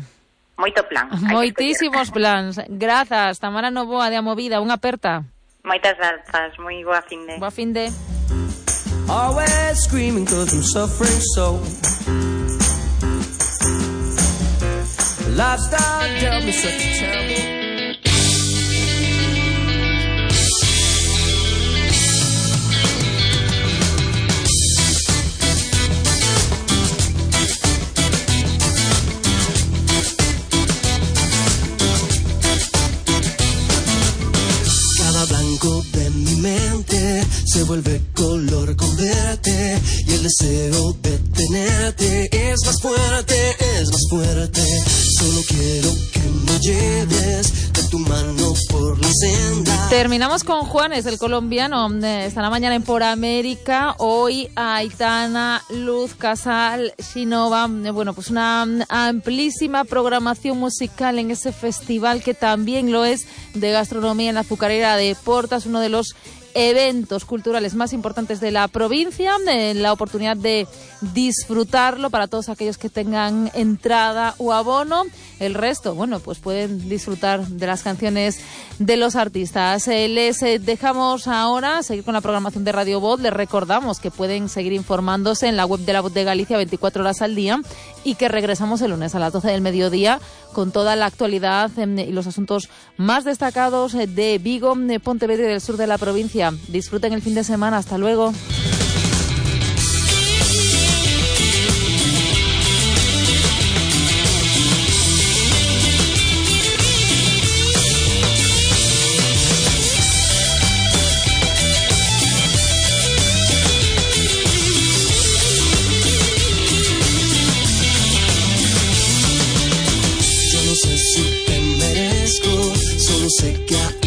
Moito plan. Moitísimos plans. Grazas, Tamara Novoa de Amovida, unha aperta. Moitas grazas, moi boa fin de. Boa fin de. Always screaming cause I'm suffering so. Lifestyle dealt me such a terrible. Blanco de mi mente se vuelve color con verte y el deseo de tenerte es más fuerte, es más fuerte. Solo quiero que me lleves de tu mano por la senda. Terminamos con Juanes, el colombiano. Estará mañana en Por América. Hoy Aitana, Luz Casal, Shinova. Bueno, pues una amplísima programación musical en ese festival que también lo es de gastronomía en la azucarera de Portas, uno de los eventos culturales más importantes de la provincia, eh, la oportunidad de disfrutarlo para todos aquellos que tengan entrada o abono. El resto, bueno, pues pueden disfrutar de las canciones de los artistas. Eh, les eh, dejamos ahora seguir con la programación de Radio Voz. Les recordamos que pueden seguir informándose en la web de La Voz de Galicia veinticuatro horas al día y que regresamos el lunes a las doce del mediodía con toda la actualidad eh, y los asuntos más destacados eh, de Vigo, de Pontevedra y del sur de la provincia. Disfruten el fin de semana. Hasta luego. Yo no sé si te merezco, solo sé que